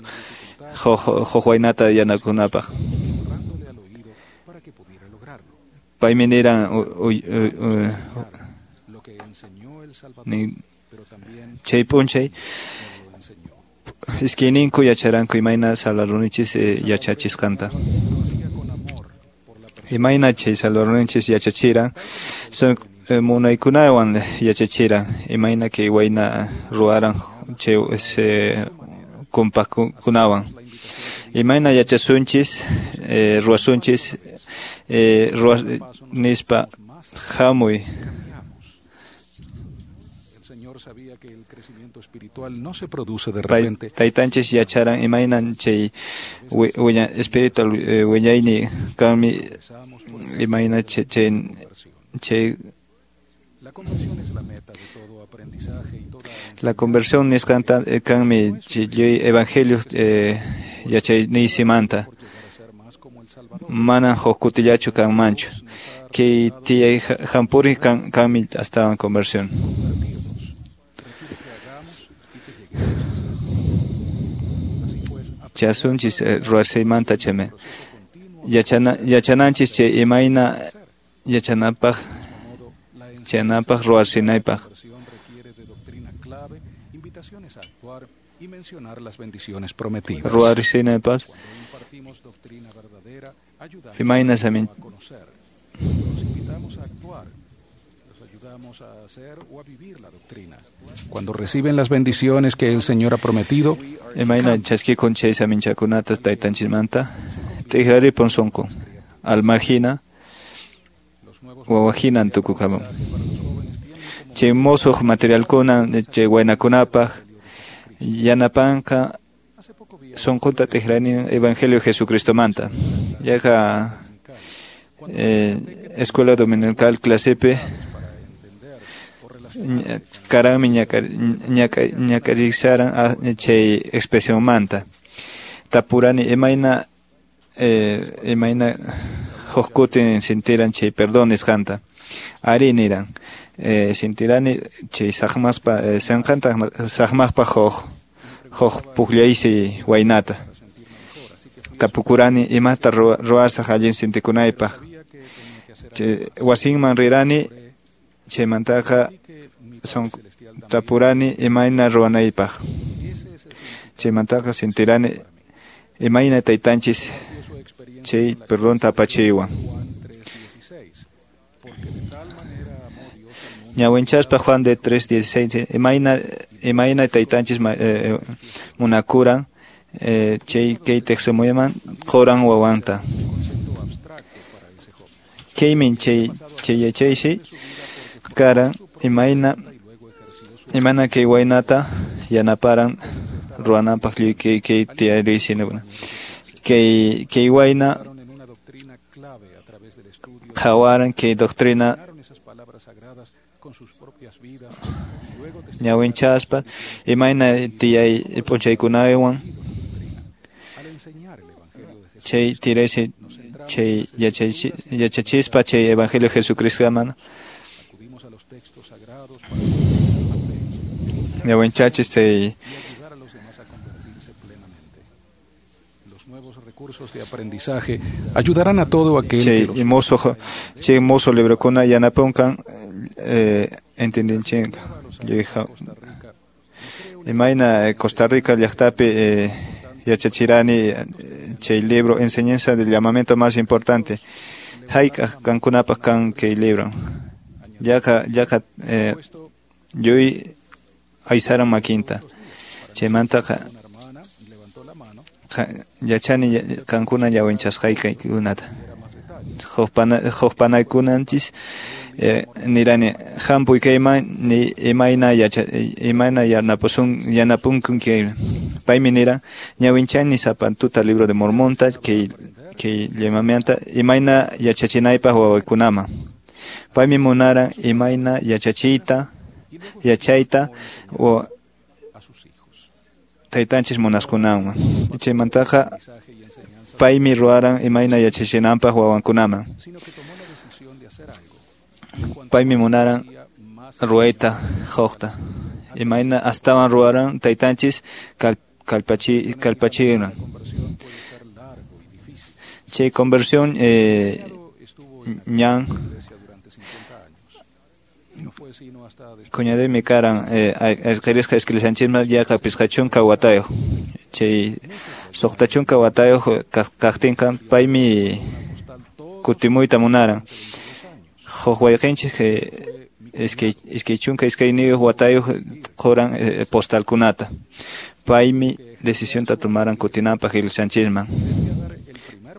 huk waynata yanakunapaq. Paymi niran chay p'unchay Iskayninku yacharanku imayna Salvadorninchis yachachisqanta. Imayna chay Salvadorninchis yachachiran, son munaykunawan yachachiran, imayna kay wayna ruwaran chay kumpaqkunawan. Imayna yachasunchis, ruwasunchis, nispa hamuy. Taytanchis yacharan imaynan chay espiritual wiñayni kanmi imayna chay la conversión nisqanta kanmi chay evangelio yachayniysimanta manan huk kutillachu kanmanchu kay tiyay hampuri kanmi astawan conversión. Chasunchis ruwashaymanta chaymi yachananchis chay imayna yachanapaq chayanapaq ruwasinaypaq. Ruwasinaypaq imayna samin Cuando reciben las bendiciones que el Señor ha prometido, imayna chaskikun chay saminchakunata taytanchismanta tikraripun sunqun almahina wawahinan tukukamun chay musuq materialkuna chay waynakunapaq yanapanqa sunqunta tikrani evangelio Jesucristomanta yaqa escuela dominical clasepi karami ñak'arisharan chay expresionmanta tapurani imayna huk kutin sintiran chay perdón nisqanta ari niran sintirani chay saqmaspa sanqanta saqmaspa huk pukllaysi waynata tapukurani imata ruwasaq allin sintikunaypaq wasinman rirani chaymantaqa son tapurani imayna ruwanaypaq chaymantaqa sintirani imayna taytanchis chay perdonta apachiywan ñawinchaspa Juan de 3:16 imayna taytanchis munakuran chay kay tiqsimuyman quran wawanta kaymin chay yachaysi karan imayna kay waynata yanaparan ruwananpaq lluy kay tiyariysinakuna kay wayna qhawaran kay doctrina ñawinchaspa imayna tiyay p'unchaykunawan chay tiraysi chay yachachispa chay evangelio Jesucristoman ñawinchachis chay de aprendizaje ayudarán a todo aquel que chay mozo librokuna yanapunkan entendinchinka imayna Costa Rica llaqtapi yachachirani chay libro enseñanza del llamamiento más importante hayk'aq qankunapaq kan kay libro yaqa lluy aysaran makinta chaymantaqa yachani qankuna ñawinchasqaykikunata huk panaykunanchis nirani hampuy kayman ni imayna yanapunku kay paymi niran ñawinchani sapa tuta libro de Mormonta kay llamamianta imayna yachachinaypaq wawaykunaman paymi munaran imayna yachachiyta yachayta o taytanchis munaskunawan chaymantaqa paymi ruwaran imayna yachachinanpaq wawankunaman paymi munaran ruwayta huqta imayna astawan ruwaran taytanchis kallpachiran chay conversión ñan Cuñadoymi karan ayqirisqa iskilisanchisman yaqa 50 watayuq. Chay 60 watayuq kaqtinqa paymi kutimuyta munaran. Huk wayqinchik 22 watayuq quran postalkunata. Paymi decisionta tomaran kutinanpaq iglesianchisman.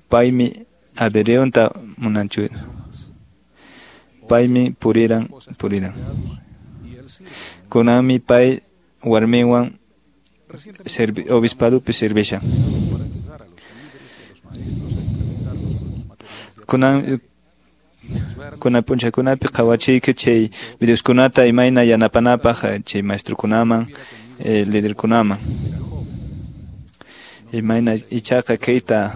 Paymi adheriyunta munanchu. Paymi puriran. Kunanmi pay warminwan obispadupi servishan. Kunan punchakunapi qhawachiyku chay videoskunata imayna yanapanapaq chay maestrukunaman, liderkunaman. Imayna ichaqa kayta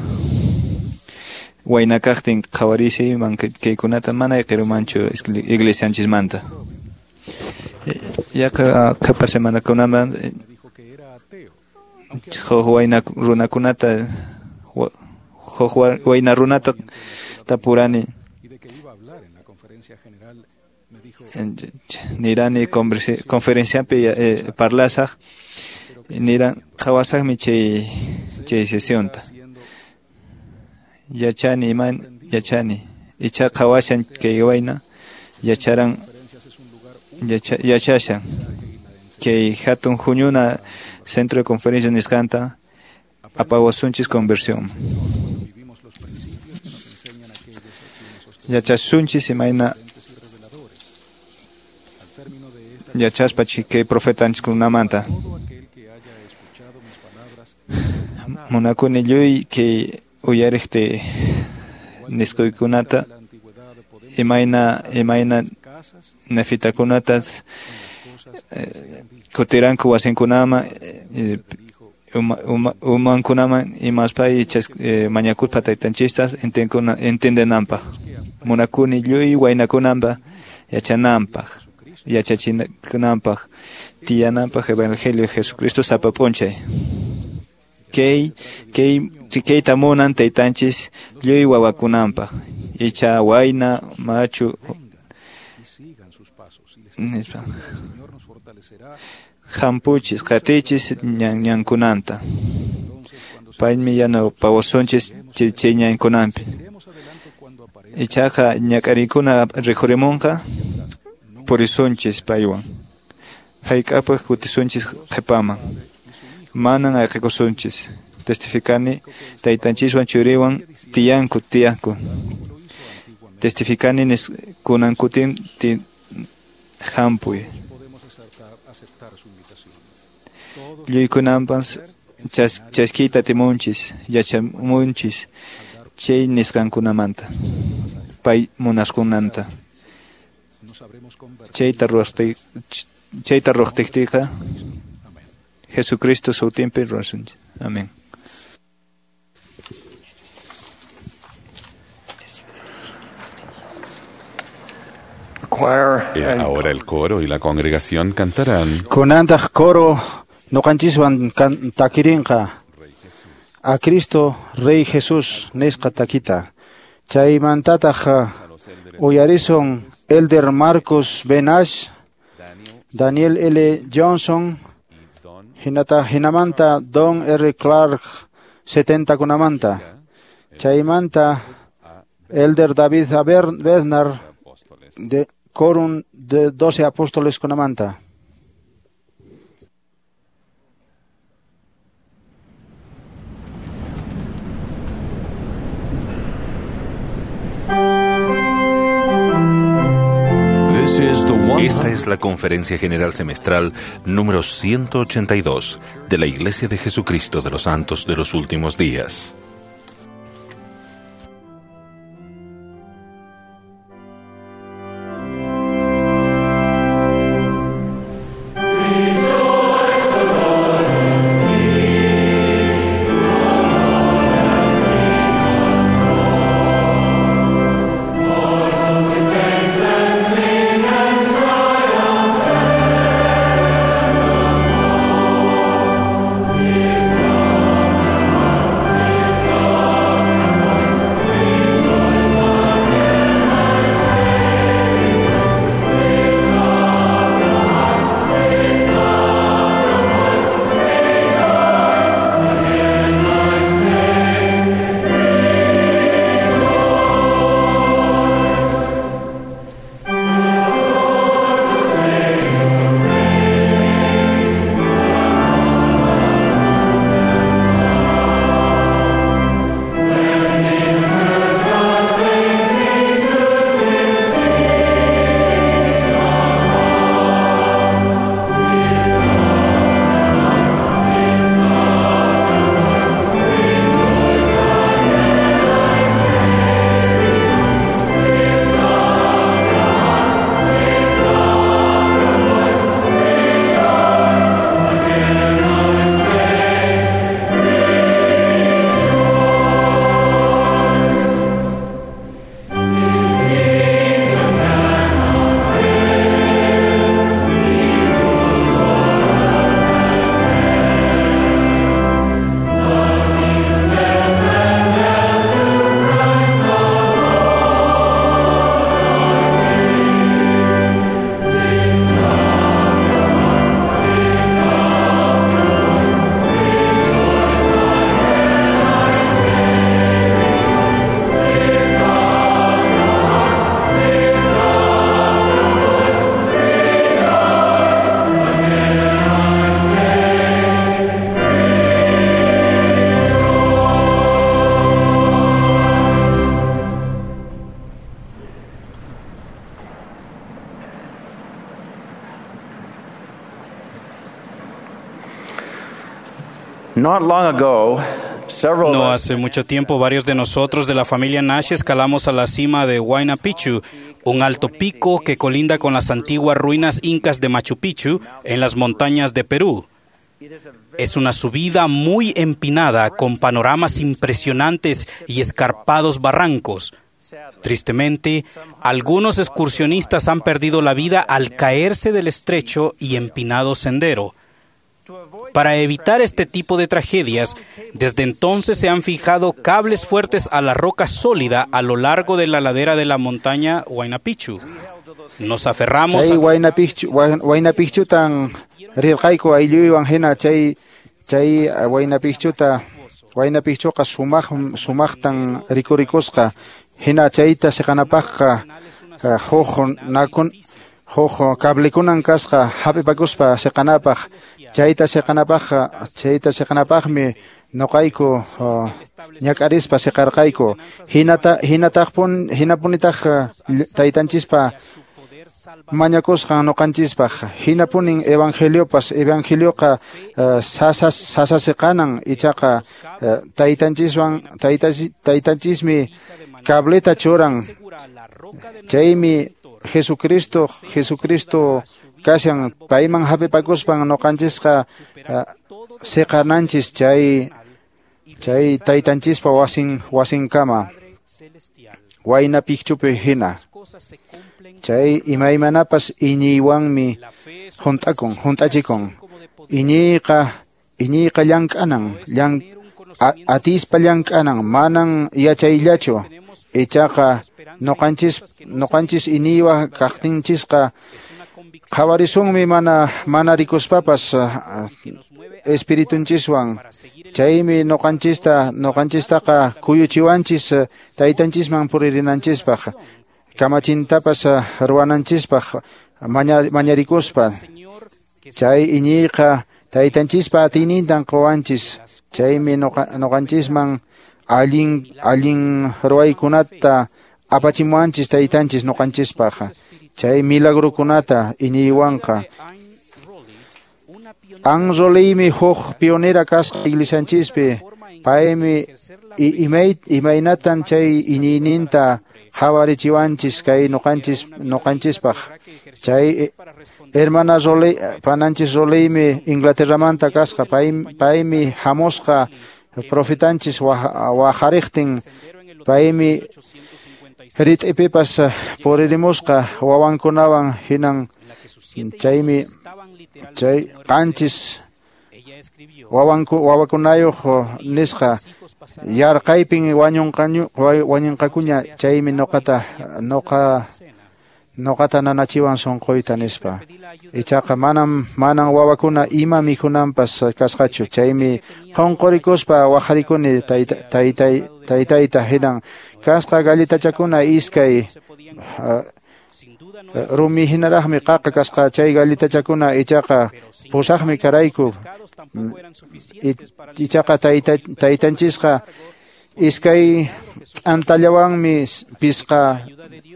wayna kaqtin qhawarisiyman kaykunata mana ayqirumanchu iglesianchismanta. Yaqa qhipa semanakunaman huk wayna runakunata huk wayna runata tapurani. Nirani conferenciapi parlasaq niran qhawasaqmi chay sesionta. Yachani iman yachani icha qhawashan kay wayna yacharan yachashan kay hatun huñuna centro de conferencia nisqanta apawasunchis conversión. Yachasunchis imayna yachaspa kay profetanchiskunamanta. Munakuni lluy kay uyariqti nisquykunata imayna nefitakunata kutiranku wasinkunaman umankunaman imaspa mañakuspa taytanchistas entendenanpaq. Munakuni lluy waynakunanpa yachananpaq, yachachikunanpaq, tiyananpaq Evangelio de Jesucristo sapa p'unchay. Kayta munan taytanchis lluy wawakunanpaq, icha wayna machu nispa. Hampuchis, qatichis ñankunanta. Paymi yanapawasunchis chay ñankunanpi. Ichaqa ñak'ariykuna rikhurimunqa purisunchis paywan. Hayk'apaq kutisunchis qhipaman. Manan ayqikusunchis. Testificani taytanchiswan churiwan tiyanku. Testificani kunan kutin hampuy. Lluykunanpas chaskiyta timunchis, yachamunchis chay nisqankunamanta, pay munasqunanta. Chayta ruwaqtiykiqa Jesucristo sutinpi ruwasunchis. Amén. Ahora el coro y la congregación cantarán. Kunantaq coro noqanchiswan takirinqa a Cristo Rey Jesús nisqa takita. Chaymantataq uyarisun Elder Marcus Benash, Daniel L. Johnson, hinata hinamanta Don R. Clark 70 kunamanta. Chaymanta Elder David A. Bednar de Quórum de 12 apóstoles kunamanta. Esta es la Conferencia General Semestral número 182 de la Iglesia de Jesucristo de los Santos de los Últimos Días. If Not long ago, several No hace mucho tiempo, varios de nosotros de la familia Nash escalamos a la cima de Huayna Picchu, un alto pico que colinda con las antiguas ruinas incas de Machu Picchu en las montañas de Perú. Es una subida muy empinada con panoramas impresionantes y escarpados barrancos. Tristemente, algunos excursionistas han perdido la vida al caerse del estrecho y empinado sendero. Para evitar este tipo de tragedias, desde entonces se han fijado cables fuertes a la roca sólida a lo largo de la ladera de la montaña Huayna Picchu. Nos aferramos Chay a Huayna Picchu, Huayna Picchutan rirqayku aylluywan hina chay chay Huayna Picchuta Huayna Picchuqa sumaqtan rikurikusqa hina chayta siqanapaqqa huk nakun huk cablekunan kasqa hap'ipakuspa siqanapaq chayta siqanapaqmi noqayku ñak'arispa siqarqayku hinapunitaq taytanchispa mañakusqan noqanchispaq hinapunin evangeliopas evangelioqa sasasiqanan ichaqa taytanchismi cableta churan chaymi Jesucristo kashan payman hap'ipakuspan noqanchisqa siqananchis chay taytanchispa wasinkama Huayna Picchupi hina chay imaymanapas iñiywanmi hunt'achikun iñiyqa llank'anan atispa llank'anan manan yachayllachu ichaqa noqanchis iñiywa kaqtinchisqa qhawarisunmi mana rikuspapas espiritunchiswan chaymi noqanchistaqa kuyuchiwanchis taytanchisman puririnanchispaq kamachintapas ruwananchispaq mañarikuspa chay iñiyqa taytanchispa atiynintan quwanchis chaymi noqanchisman allin ruwaykunata apachimuwanchis taytanchis noqanchispaq chay milagrukunata iñiywanqa. Ann Roleymi huk pionera kasqa iglesianchispi paymi imaynatan chay iñiyninta qhawarichiwanchis kay noqanchispaq chay hermana Roley pananchis Roleymi Inglaterramanta kasqa paymi hamusqa profetanchis waqariqtin paymi rit'ipipas puririmusqa wawankunawan hinan chaymi chay qanchis wawakunayuq nisqa yarqaypin wañunqakuña chaymi noqata nanachiwan sunquyta nispa ichaqa manan wawakuna ima mikhunanpas kasqachu chaymi qunqurikuspa waqarikuni taytayta hinan kasqa galletachakuna iskay rumi hinaraqmi qaqa kasqa chay galletachakuna ichaqa pusaqmi karayku ichaqa taytanchisqa iskay t'antallawanmi pisqa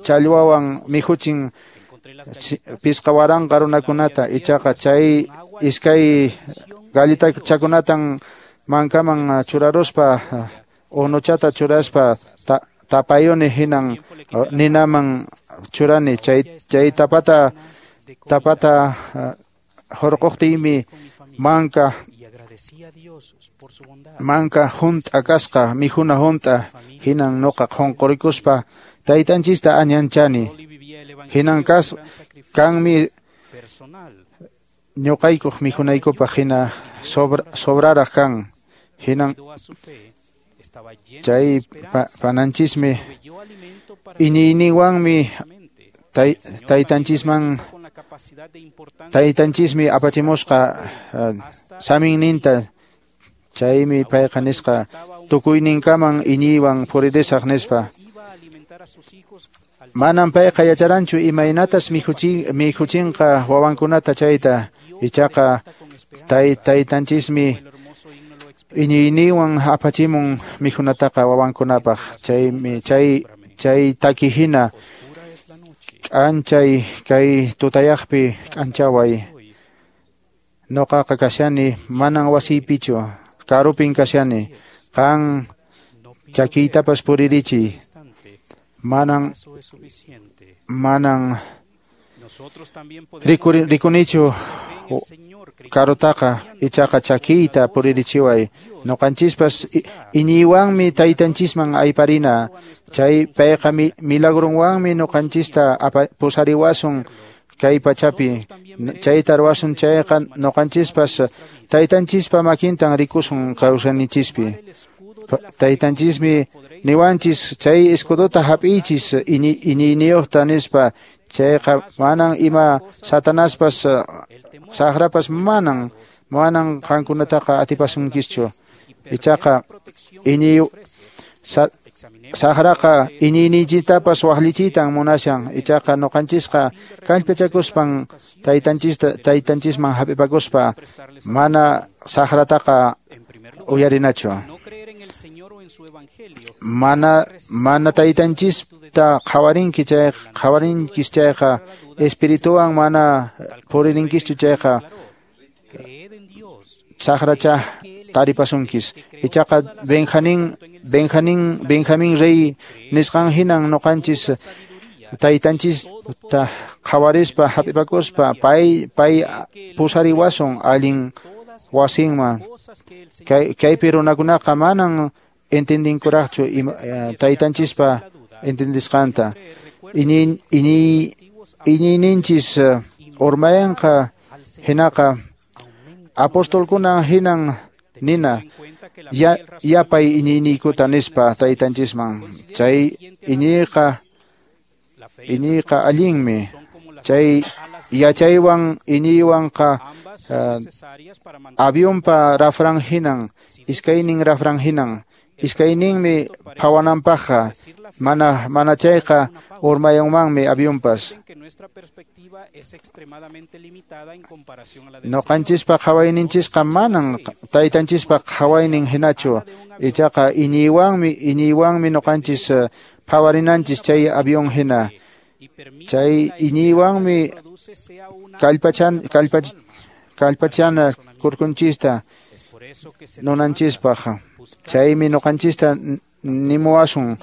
challwawan mikhuchin pisqa waranqa runakunata ichaqa chay iskay galletachakunatan mankaman churaruspa unuchata churaspa tapayuni hinan ninaman churani chay tapata hurquqtiymi manka hunt'a kasqa mikhuna hunt'a hinan noqa qunqurikuspa taytanchista añanchani hinan kanmi ñuqaykuq mikhunaykupaq hina sobraraq kan hinan chay pananchismi iñiyninwanmi taytanchismi apachimusqa saminninta chaymi payqa nisqa tukuyninkaman iñiywan puririsaq nispa manan payqa yacharanchu imaynatas mikhuchinqa wawankunata chayta ichaqa taytanchismi iñiyninwan apachimun mikhunataqa wawankunapaq chaymi chay taki hina k'anchay kay tutayaqpi k'anchaway noqaqa kashani manan wasiypichu karupin kashani. Qan chakiytapas puririchiy. Manan rikunichu karutaqa, ichaqa chakiyta puririchiway. Noqanchispas iñiywanmi taytanchisman ayparina. Chay payqa milagrunwanmi noqanchista pusariwasun kay pachapi. Chayta ruwasun chayqa noqanchispas taytanchispa makintan rikusun kawsayninchispi. Taytanchismi niwanchis chay escudota hap'ichis iñiyniyuqta nispa. Chayqa manan ima satanaspas saqrapas manan qankunataqa atipasunkischu. Ichaqa saqraqa iñiyninchiktapas waqllichitan munashan. Ichaqa noqanchisqa kallpachakuspan taytanchisman hap'ipakuspa mana saqrataqa uyarinachu. Mana taytanchista qhawarinkis chayqa espirituwan mana puririnkischu chayqa saqracha taripasunkis. Ichaqa Benjamín rey nisqan hinan noqanchis taytanchista qhawarispa hap'ipakuspa pay pusariwasun allin wasinman. Kaypi runakunaqa manan entendinkuraqchu taytanchispa entendisqanta. Iñiyninchis urmayanqa hinaqa apostolkuna hinan nina yapay iñiyniykuta nispa taytanchisman. Chay iñiyqa allinmi. Chay yachaywan iñiywanqa avionpa rafran hinan, iskaynin rafran hinan, iskayninmi phawananpaqqa, mana chayqa urmayanmanmi avionpas. Noqanchispa qhawayninchisqa manan taytanchispa qhawaynin hinachu. Ichaqa iñiywanmi noqanchis phawarinanchis chay avión hina. Chay iñiywanmi kallpachana kurkunchista nunanchispaq. Chaymi noqanchista nimuwasun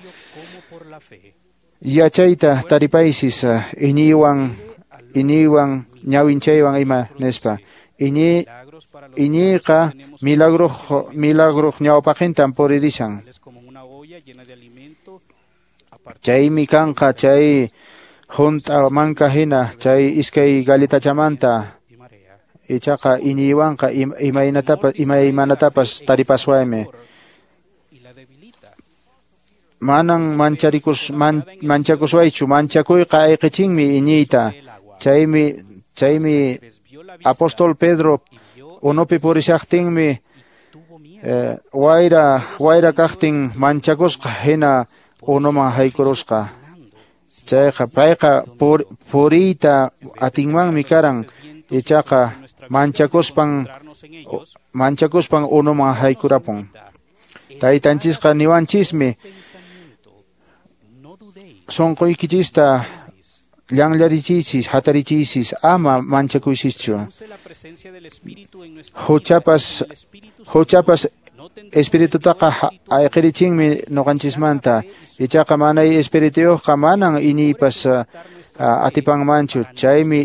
yachayta taripaysis iñiywan ñawinchaywan ima nispa. Iñiyqa milagruq ñawpaqintan puririshan. Chaymi kanqa chay hunt'a manka hina chay iskay galletachamanta. Ichaqa iñiywanqa imaymanatapas taripaswaymi. Manan manchakuswaychu, manchakuyqa ayqichinmi iñiyta. Chaymi apóstol Pedro unupi purishaqtinmi wayra kaqtin manchakusqa hina unuman haykurusqa. Chayqa payqa puriyta atinmanmi karan. Ichaqa manchakuspan unuman haykurapun. Taytanchisqa niwanchismi sunquykichista llanllarichiychis, hatarichiychis, ama manchakuychischu. Huchapas espiritutaqa ayqirichinmi noqanchismanta. Ichaqa manay espirituyuqqa manan iñiypas atipanmanchu. Chaymi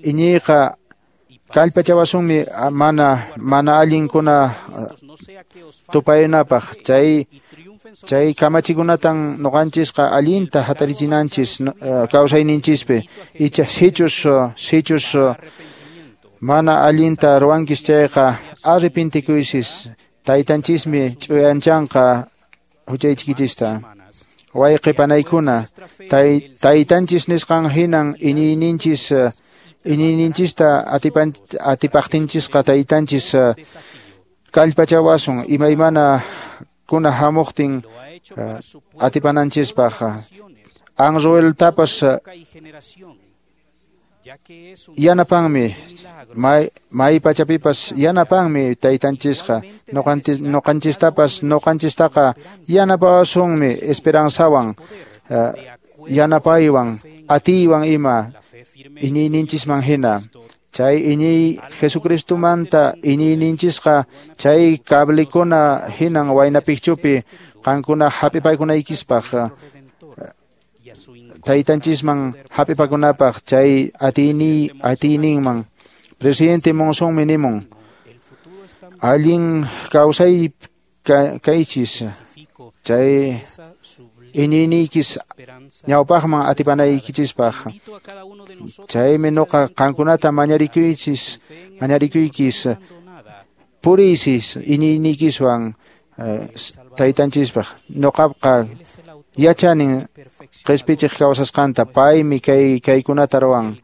iñiyqa kallpachawasunmi mana allinkuna tupayunapaq. Chay kamachikunatan noqanchisqa allinta hatarichinanchis kawsayninchispi. Icha sichus mana allinta ruwankis chayqa arrepentikuysis. Taytanchismi ch'uyanchanqa huchaykichista. Wayqi panaykuna, taytanchis nisqan hinan iñiyninchista atipaqtinchisqa taytanchis kallpachawasun imaymana kuna hamuqtin atipananchispaq. Anrueltapas yanapanmi, may pachapipas yanapanmi taytanchisqa. Noqanchistaqa yanapawasunmi esperanzawan, yanapaywan, atiywan ima iñiyninchisman hina. Chay iñiy Jesucristomanta iñiyninchisqa chay cablikuna hinan Huayna Picchupi qankuna hap'ipaykunaykispaq taytanchisman hap'ipakunapaq chay atiyninman. Presidente Monsonmi nimun allin kawsay kaychis chay iñiyniykis ñawpaqman atipanaykichispaq. Chaymi nuqa qankunata mañarikuykis puriysis iñiyniykiswan taytanchispaq. Nuqaqa yachanin qispichiq kawsasqanta, paymi kaykunata ruwan,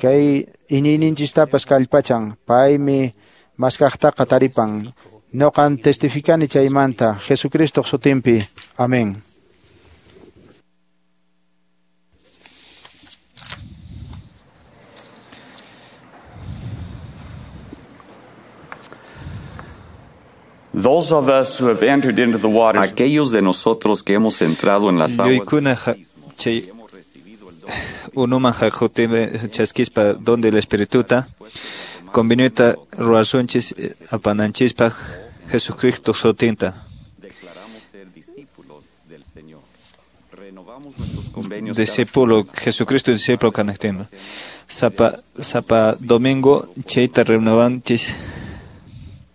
kay iñiyninchistapas kallpachan, paymi maskaqtaqa taripan. Nuqan testificani chaymanta Jesucristo sutinpi. Amén. Those of us who have entered into the waters, aquellos de nosotros que hemos entrado en las aguas, Yuykuna chay unuman haqutime chaskispa donde el espirituta conveniuta ruwasunchis apananchispaq Jesucristo sutinta. Declaramos ser discípulos del Señor. Renovamos nuestros convenios. Discípulo Jesucristo discípulo kanaqtinma. Sapa domingo chayta renovanchis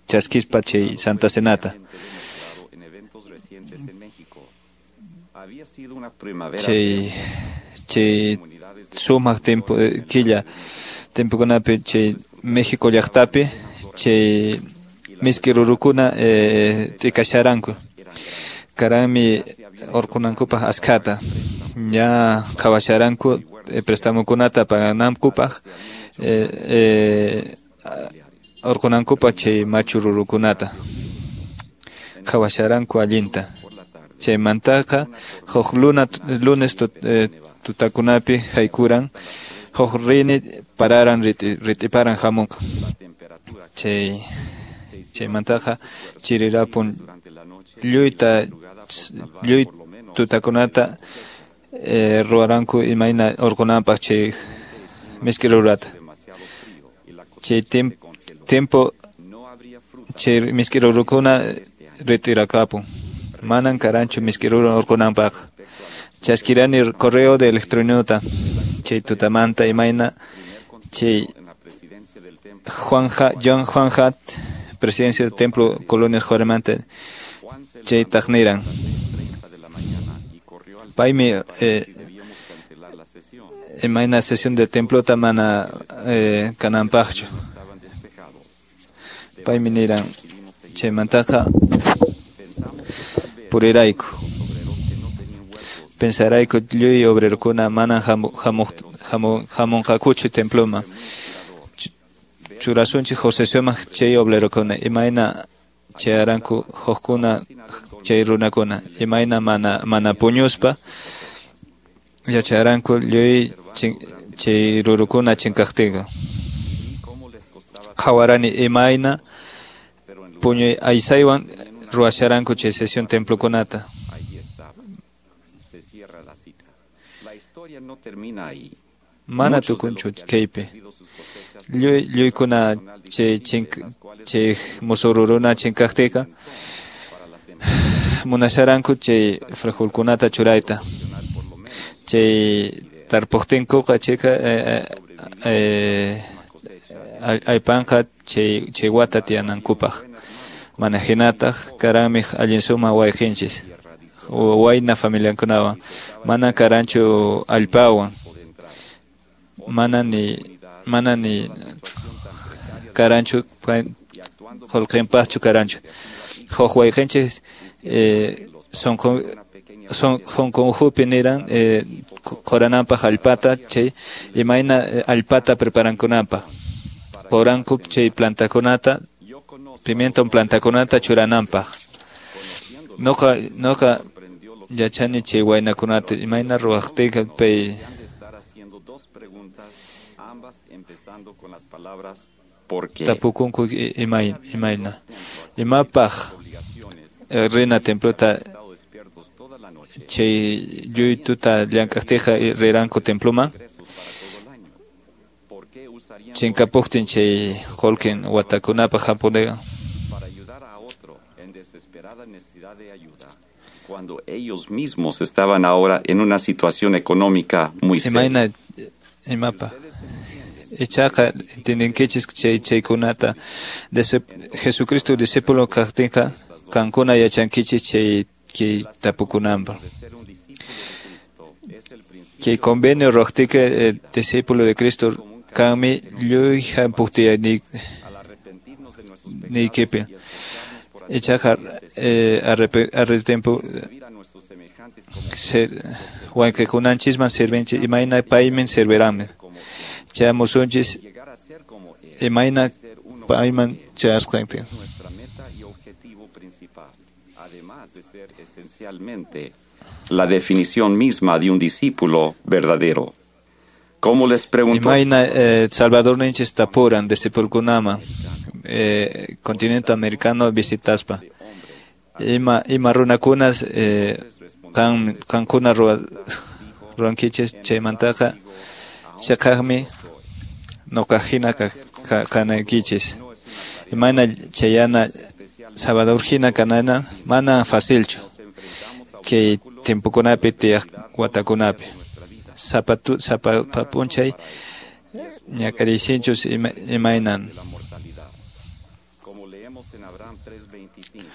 chaskispa chay Santa Cenata. En eventos recientes en México. Había sido una primavera Chay sumaq tiempo killa tiempokunapi chay México llaqtapi chay miski rurukuna t'ikasharanku. Karanmi urqunankupaq askhata. Ña qhawasharanku prestamukunata paganankupaq urqunankupaq chay machu rurukunata. Qhawasharanku allinta. Chaymantaqa huk lunes tutakunapi haykuran huk rini pararan ritiparan hamunqa. Chaymantaqa chirirapun lluy tutakunata ruwaranku imayna urqunanpaq chay miski rurata. Chay tiempo chay miski rurukuna ritirakapun. Manan karanchu miski ruru urqunanpaq. Chaskirani correo de electrónica chay tutamanta imayna chay John Juan Hat, presidencia del templo Colonias Juaremante, chay taqniran. Paymi imayna sesión del templo mana kananpaqchu. Paymi niran chaymantaqa purirayku. Pensarayku lluy obrerokuna manan hamunqakuchu temploman. Churasunchik Josesuman chay obrerokuna imayna chayaranku hukkuna chay runakuna imayna mana puñuspa yacharanku lluy chay rurukuna chinkaqtinqa. Qhawarani imayna puñuy aysaywan ruwasharanku chay sesión templokunata. Mana tukunchu kaypi. Lluykuna chay musururuna chinkaqtinqa munasharanku chay frijolkunata churayta. Chay tarpuqtinkuqa chayqa aypanqa chay wata tiyanankupaq. Mana hinataq karanmi allin sumaq wayqinchis wayna familiankunawan. Mana karanchu allpawan. Mana ni karanchu qullqinpaqchu karanchu. Huk wayqinchis sunqunhupi niran qurananpaq allpata chay imayna allpata preparankunanpaq. Quranku chay plantakunata pimiento plantakunata churananpaq. Nuqa yachani chay waynakunata imayna ruwaqtinqa pay tapukunku imayna imapaq rina templota chay lluy tuta llank'aqtinqa riranku temploman. Chinkapuqtin chay qullqin watakunapaq hampunqa. Para ayudar a otro en desesperada necesidad de ayuda, cuando ellos mismos estaban ahora en una situación económica muy seria. Imayna imapa. Ichaqa entiendenkichis chay chaykunata. Jesucristo discípulo kaqtinqa qankuna yachankichis chay kay tapukunanpaq. Kay convenio ruwaqtinqa discípulo de Cristo kanmi lluy hampuqtiya niykipi. Ichaqa arretempu wayqikunanchisman sirvinchis imayna payman sirviranmi. Chayamusunchis imayna payman chayasqantin. Nuestra meta y objetivo principal, además de ser esencialmente la definición misma de un discípulo verdadero. Como les preguntó Imayna Salvador ninchis tapuran discipulkunama continente americano visitaspa. Ima runakunas qankuna ruwankichis chaymantaqa chaqaqmi noqa hina kanaykichis. Imayna chayana Salvador hina kanana mana facilchu kay tiempokunapi tiyaq watakunapi. Sapa p'unchay ñak'ariysinchus imaynan. Como leemos en Abraham 3:25,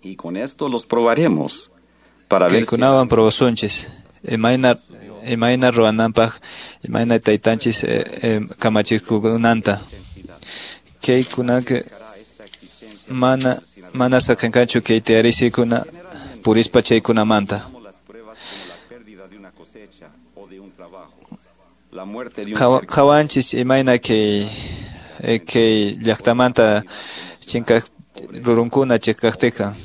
y con esto los probaremos para ver si Kaykunawan probasunchis imayna ruwananpaq imayna taytanchis kamachikunanta. Kaykunaka mana saqinqachu kay tiyarisikuna purispa chaykunamanta. la muerte de un Qhawanchis imayna kay llaqtamanta chinkaq rurunkuna chinkaqtiqa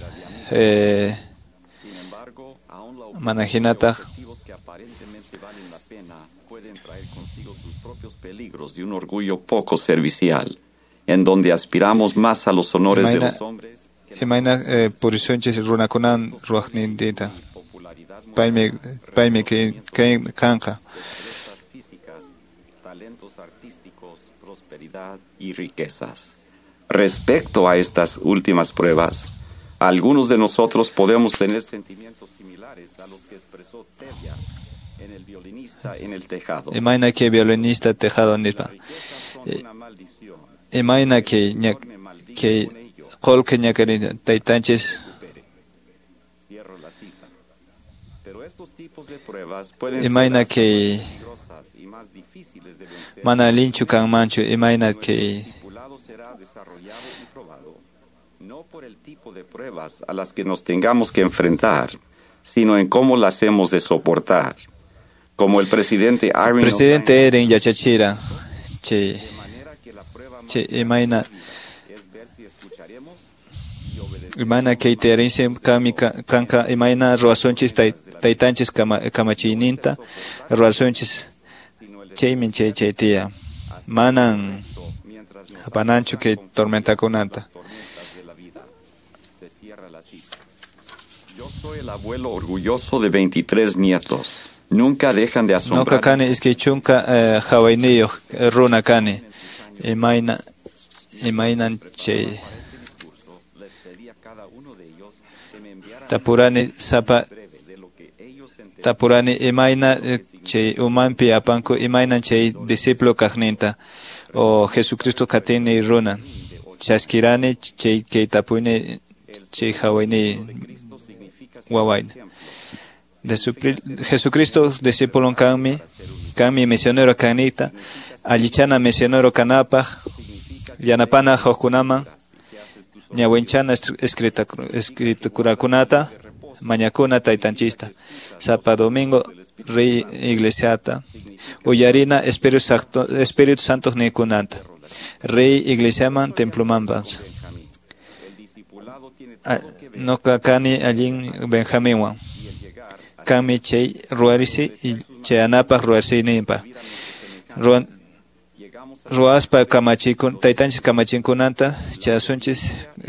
mana hinataq objetivos que aparentemente valen la pena pueden traer consigo sus propios peligros y un orgullo poco servicial, en donde aspiramos más a los honores de los hombres. Imayna purisunchis runakunan ruwaqnintinta. Paymi kanqa. Físicas, talentos artísticos, prosperidad y riquezas. Respecto a estas últimas pruebas, algunos de nosotros podemos tener sentimientos similares a los que expresó Tevye en el violinista en el tejado. Imayna kay violinista tejado nispa. Imayna kay qullqi ñak'arin taytanchis. Cierro la cita. Pero estos tipos de pruebas pueden ser Imayna kay peligrosas y más difíciles de vencer. mana allinchu kanmanchu imayna kay Discipulado será desarrollado y probado, no por el tipo de pruebas a las que nos tengamos que enfrentar, sino en cómo las hemos de soportar. Como el presidente Eyring Presidente Eyring yachachira chay imayna imayna kay tiyarinsi kanmi kanqa imayna ruwasunchis taytanchis kamachiyninta ruwasunchis chaymi chay tiya manan apananchu kay tormentakunanta. Se cierra la cita. Yo soy el abuelo orgulloso de 23 nietos. Nunca dejan de Noqa asombrar. kani iskay chunka hawayniyuq runa kani imaynan chay tapurani sapa tapurani imayna chay umanpi apanku imaynan chay discípulo kaqninta o Jesucristo qatini runa chaskirani chay kay tapuyni chay hawayniy wawayna. Jesucristo discípulo kanmi misionero kanita allichana misionero kanapaq yanapana hukkunaman ñawinchana escriturakunata mañakuna taytanchista sapa domingo riy iglesiata uyarina Espíritu Santo nikunanta riy iglesiaman templomanpas. Noqa kani allin Benjaminwan kanmi chay ruwarisi y chayanapaq ruwasiyninpaq ruwaspa taytanchis kamachinkunanta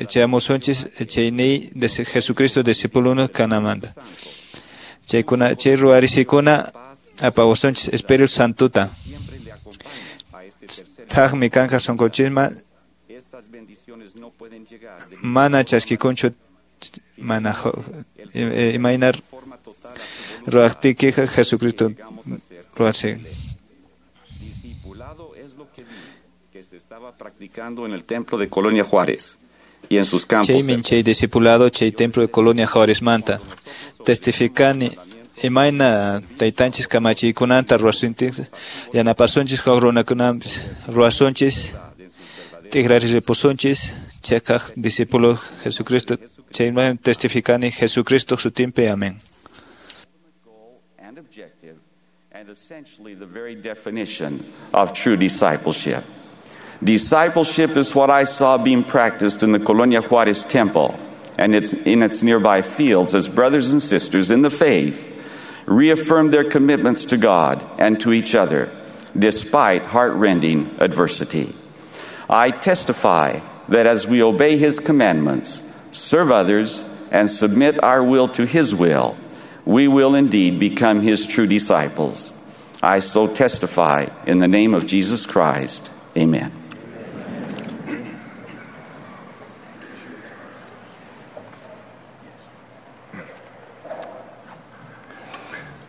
chayamusunchis chayniy Jesucristo discipuluna kanamanta. Chay ruwarisikuna apawasunchis Espíritu Santuta. Thakmi kanqa sunqunchisman mana chaskikunchu mana imayna ruwaqtiykiqa Jesucristo ruwarse. Discipulado es lo que vi que se estaba practicando en el templo de Colonia Juárez y en sus campos. Chaymin chay discipulado chay templo de Colonia Juárez manta testificani imayna taytanchis kamachiykunanta ruwasunchis yanapasunchis huk runakunapis ruwasunchis tikraripusunchis chayqaq discípulo Jesucristo chayman testificani Jesucristo sutinpi. Amén. And objective, and essentially the very definition of true discipleship. Discipleship is what I saw being practiced in the Colonia Juarez Temple and in its nearby fields as brothers and sisters in the faith reaffirmed their commitments to God and to each other despite heart-rending adversity. I testify that as we obey His commandments, serve others, and submit our will to His will, we will indeed become His true disciples. I so testify in the name of Jesus Christ. Amen.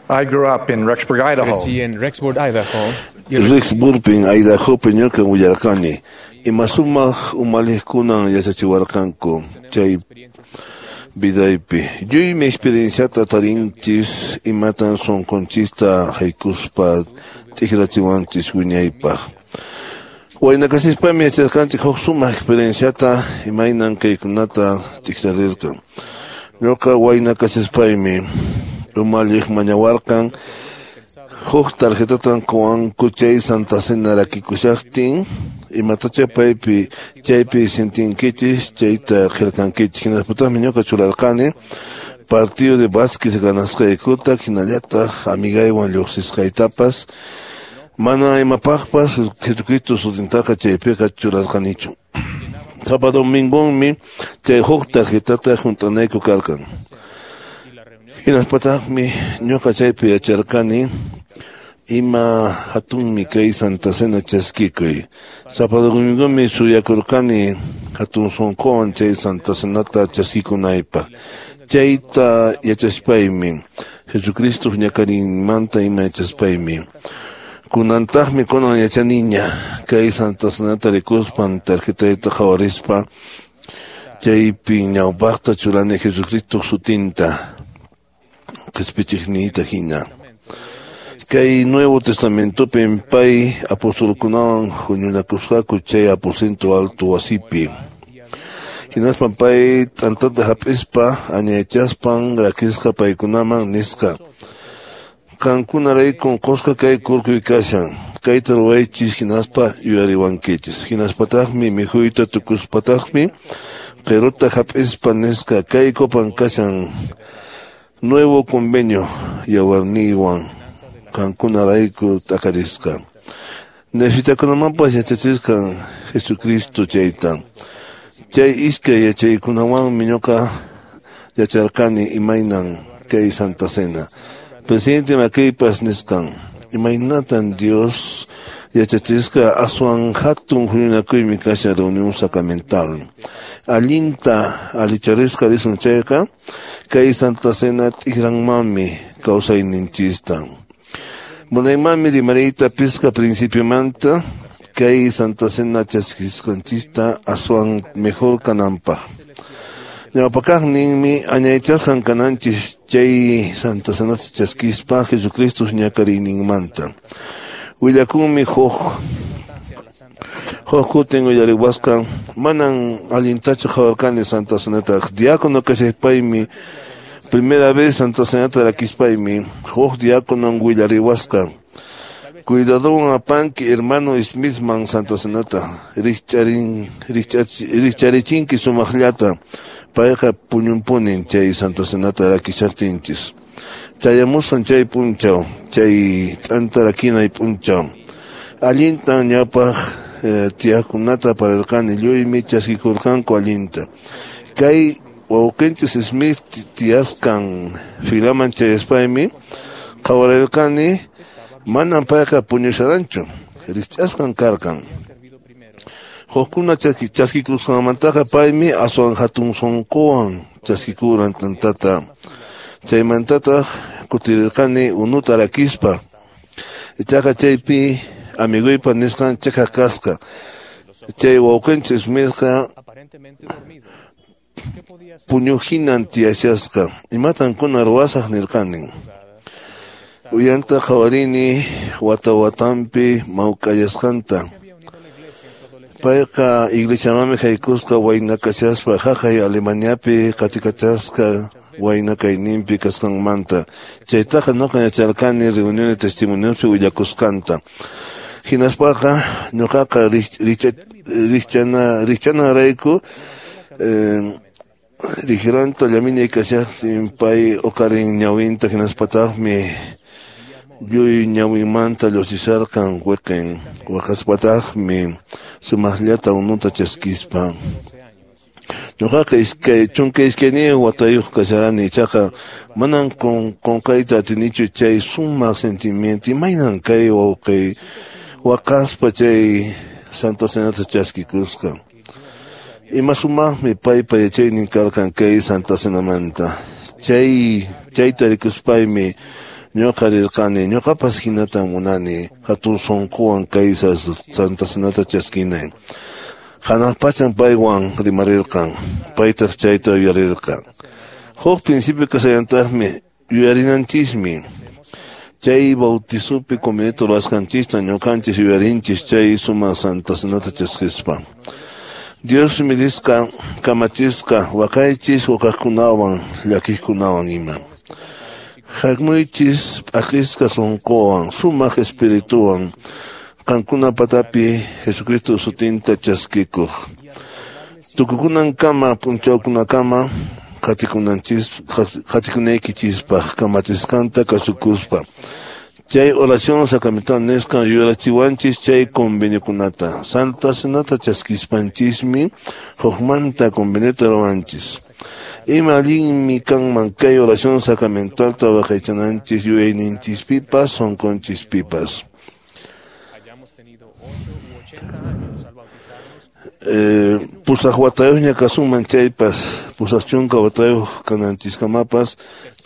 I grew up in Rexburg, Idaho. Crecí en Rexburg, Idaho. Rexburgpin Idahopi ñukan willarqani. Ima sumaq umalliqkunan yachachiwarqanku chay vidaypi. Lluymi experienciata tarinchis imatan sunqunchista haykuspa t'ikrachiwanchis wiñaypaq. Wayna kasispami yacharqanchik huk sumaq experienciata imaynan kaykunata t'ikrarirqan. Ñuqa wayna kasispaymi umalliq mañawarqan huk tarjetatan quwanku chay Santa Cena rakikushaqtin imatacha paypi chaypi sintinkichis chayta qillqankichis. Hinaspataqmi ñuqa churarqani partido de básquet ganasqaykuta hinallataq amigaywan lluqsisqaytapas mana imapaqpas Jesucristo sutintaqa chaypiqa churarqanichu. Sapa domingonmi chay huk tarjetata hunt'anayku karqan. Hinaspataqmi ñuqa chaypi yacharqani ima hatunmi kay Santa Cena chaskikuy. Sapa domingomi suyakurqani hatun sunquwan chay Santa Cenata chaskikunaypaq. Chayta yachaspaymi Jesucristo ñakarinmanta ima yachaspaymi kunantaqmi kunan yachaniña kay Santa Cenata rikuspan tarjetayta qhawarispa chaypi ñawpaqta churani Jesucristo sutinta qispichiqniyta hina. Kay Nuevo Testamentopim pay apostolkunawan huñunakusqaku chay aposento alto wasipi. Hinaspan pay t'antata hap'ispa añaychaspan rakisqa paykunaman nisqa: Qankunaraykun qusqa kay kurkuy kashan, kayta ruwaychis hinaspa yuyariwankichis. Hinaspataqmi mikhuyta tukuspataqmi qiruta hap'ispa nisqa: Kay copan kashan nuevo convenio yawarniywan qankunarayku t'akarisqa. Nefitakunamanpas yachachisqan Jesucristo chayta. Chay iskay yachaykunawanmi ñuqa yacharqani imaynan kay Santa Cena. Presidente Mackaypas nisqan imaynatan Dios yachachisqa aswan hatun huñunakuymi kashan reunión sacramental. Allinta allicharisqa risun chayqa kay Santa Cena t'ikranmanmi kawsayninchista. Munaymanmi rimariyta pisqa principiomanta kay Santa Cena chaskisqanchista aswan mejor kananpaq. Ñawpakaqninmi añaychasqan kananchis chay Santa Cenata chaskispa Jesucristo ñakariyninmanta. Willakunmi huk kutin uyariwasqa manan allintachu qhawarqani Santa Cenata. Diácono kashaypaymi primera vez Santa Cenata rakispaymi huk diáconon willariwasqa: Cuidadowan apanki hermano Smithman Santa Cenata rikcharichinki sumaqllata. Payqa puñunpunin chay Santa Cenata rakishaqtinchis. Chayamusqan chay p'unchaw, chay t'anta rakinay p'unchaw. Allintan ñawpaq tiyaqkunata pararqani, lluymi chaskikurqanku allinta. Kay wawqinchis Smith tiyasqan filaman chayaspaymi qhawarirqani manan payqa puñusharanchu, rikch'asqan karqan. Hukkuna chaskikusqanmantaqa paymi aswan hatun sunquwan chaskikuran tantata. Chaymantataq kutirirqani unuta rakispa. Ichaqa chaypi amiguypa nisqan chiqaq kasqa. Chay wawqinchik Smithqa puñuqhinan tiyashasqa. Imatan kunan ruwasaq nirqani. Uyanta qhawarini wata watanpi mawk'ayasqanta. Payqa iglesiamanmi haykusqa wayna kashaspa haqay Alemaniapi qatikachasqa wayna kayninpi kasqanmanta. Chaytaqa ñuqa yacharqani reunión de testimoniospi willakusqanta. Hinaspaqa ñuqaqa rikchanarayku riqranta llaminay kashaqtin pay uqarin ñawinta hinaspataqmi lluy ñawinmanta lluqsisharqan wiqin waqaspataqmi sumaqllata unuta chaskispa. Ñuqaqa 12 watayuq kasharani ichaqa manan qunqayta atinichu chay sumaq sentimiento imaynan kay wawqiy waqaspa chay Santa Cenata chaskikusqa. Ima sumaqmi paypa yachaynin karqan kay Santa Cenamanta. Chayta rikuspaymi ñuqa rirqani ñuqapas hinatan munani hatun sunquwan kay Santa Cenata chaskinay. Hanaq pachan paywan rimarirqan, paytaq chayta yuyarirqan. Huk principio kasallantaqmi yuyarinanchismi. Chay bautizopi convenio ruwasqanchista ñuqanchis yuyarinchis chay sumaq Santa Cenata chaskispa. Diosmi nisqa kamachisqa waqaychis waqaqkunawan llakiqkunawan ima. Hamuychis p'akisqa sunquwan sumaq espirituwan qankuna patapi Jesucristo sutinta chaskikuq. Tukukunankama p'unchawkunakama qatikunaykichispaq kamachisqanta kasukuspa. Chay oración sacramental nisqan yuyarachiwanchis chay conveniokunata. Santa Cenata chaskispanchismi hukmanta conveniota ruwanchis. Ima allinmi kanman kay oración sacramentalta waqaychananchis yuyayninchispipas sunqunchispipas. Pusaq watayuqña kasunman chaypas, pusaq chunka watayuq kananchiskamapas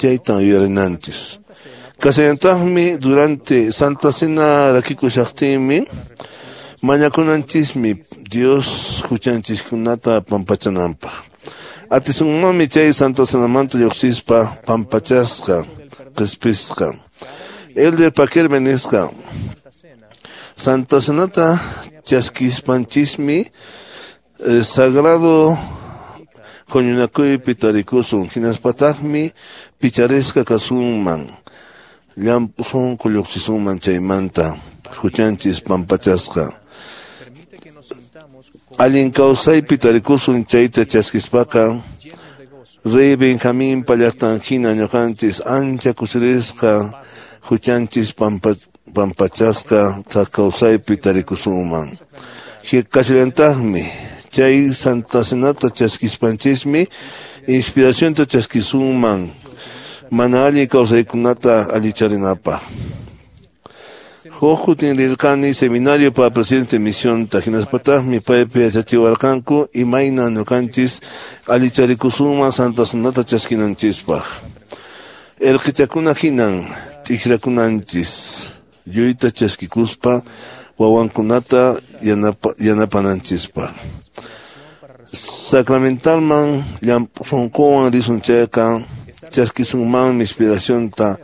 chaytan yuyarinanchis. Kasallantaqmi durante Santa Cena rakikushaqtinmi mañakunanchismi Dios huchanchiskunata pampachananpaq. Atisunmanmi chay Santa Cenamanta lluqsispa pampachasqa, qhispisqa. Elder Paquerme nisqa Santa Cenata chaskispanchismi sagrado huñunakuypi tarikusun hinaspataqmi picharisqa kasunman llamp'u sunqu lluqsisunman chaymanta huchanchis pampachasqa. Allin kawsaypi tarikusun chayta chaskispaqa Rey Benjaminpa llaqtan hina ñuqanchis ancha kusirisqa huchanchis pampachasqa thak kawsaypi tarikusunman. Kashallantaqmi chay Santa Cenata chaskispanchismi inspiracionta chaskisunman mana allin kawsaykunata allicharinapaq. Huk kutin rirqani seminario para presidente misionta hinaspataqmi paypi yachachiwarqanku imayna ñuqanchis allicharikusunman Santa Cenata chaskinanchispaq. Erqichakuna hinan t'ikrakunanchis lluyta chaskikuspa wawankunata yanapananchispaq. Sacramentalman llamp'u sunquwan risun chayqa chaskisunmanmi inspiracionta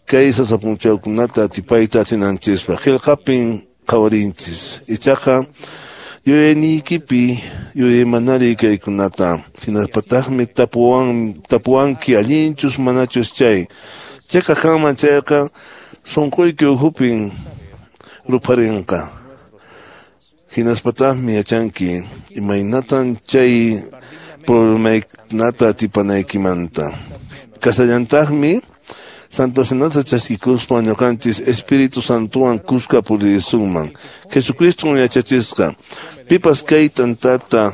kay sasa p'unchawkunata atipayta atinanchispaq. Qillqapin qhawarinchis. Ichaqa yuyayniykipi yuyaymanariy kaykunata. Hinaspataqmi tapuwanki allinchus manachus chay. Chayqa kanman chayqa sunquyki ukhupin rupharinqa. Hinaspataqmi yachanki imaynatan chay problemaykunata atipanaykimanta. Kasallantaqmi Santa Cenata chaskikuspa ñuqanchis Espíritu Santowan kuska puririsunman. Jesucriston yachachisqa pipas kay tantata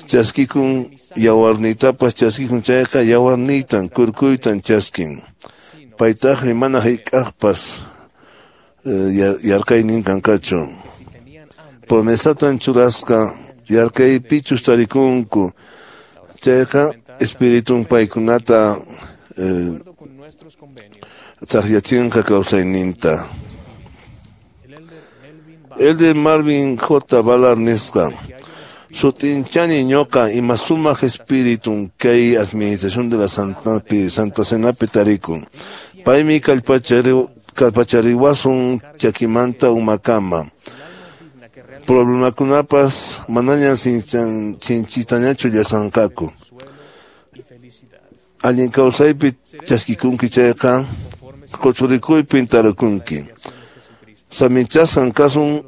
chaskikun yawarniytapas chaskikun chayqa yawarniytan kurkuytan chaskin. Paytaqmi mana hayk'aqpas yarqaynin kanqachu. Promesatan churasqa yarqaypichus tarikunku chayqa espiritun paykunata taqyachinqa kawsayninta. Elder Marvin J. Ballard nisqa sutinchani ñuqa ima sumaq espiritun kay administración de la Santa Cenapi tarikun. Paymi kallpachariwasun chakimanta umakama. Problemakunapas manañan sinchitañachu llasanqaku. Allin kawsaypi chaskikunki chayqa quchurikuypin tarikunki. Saminchasqan kasun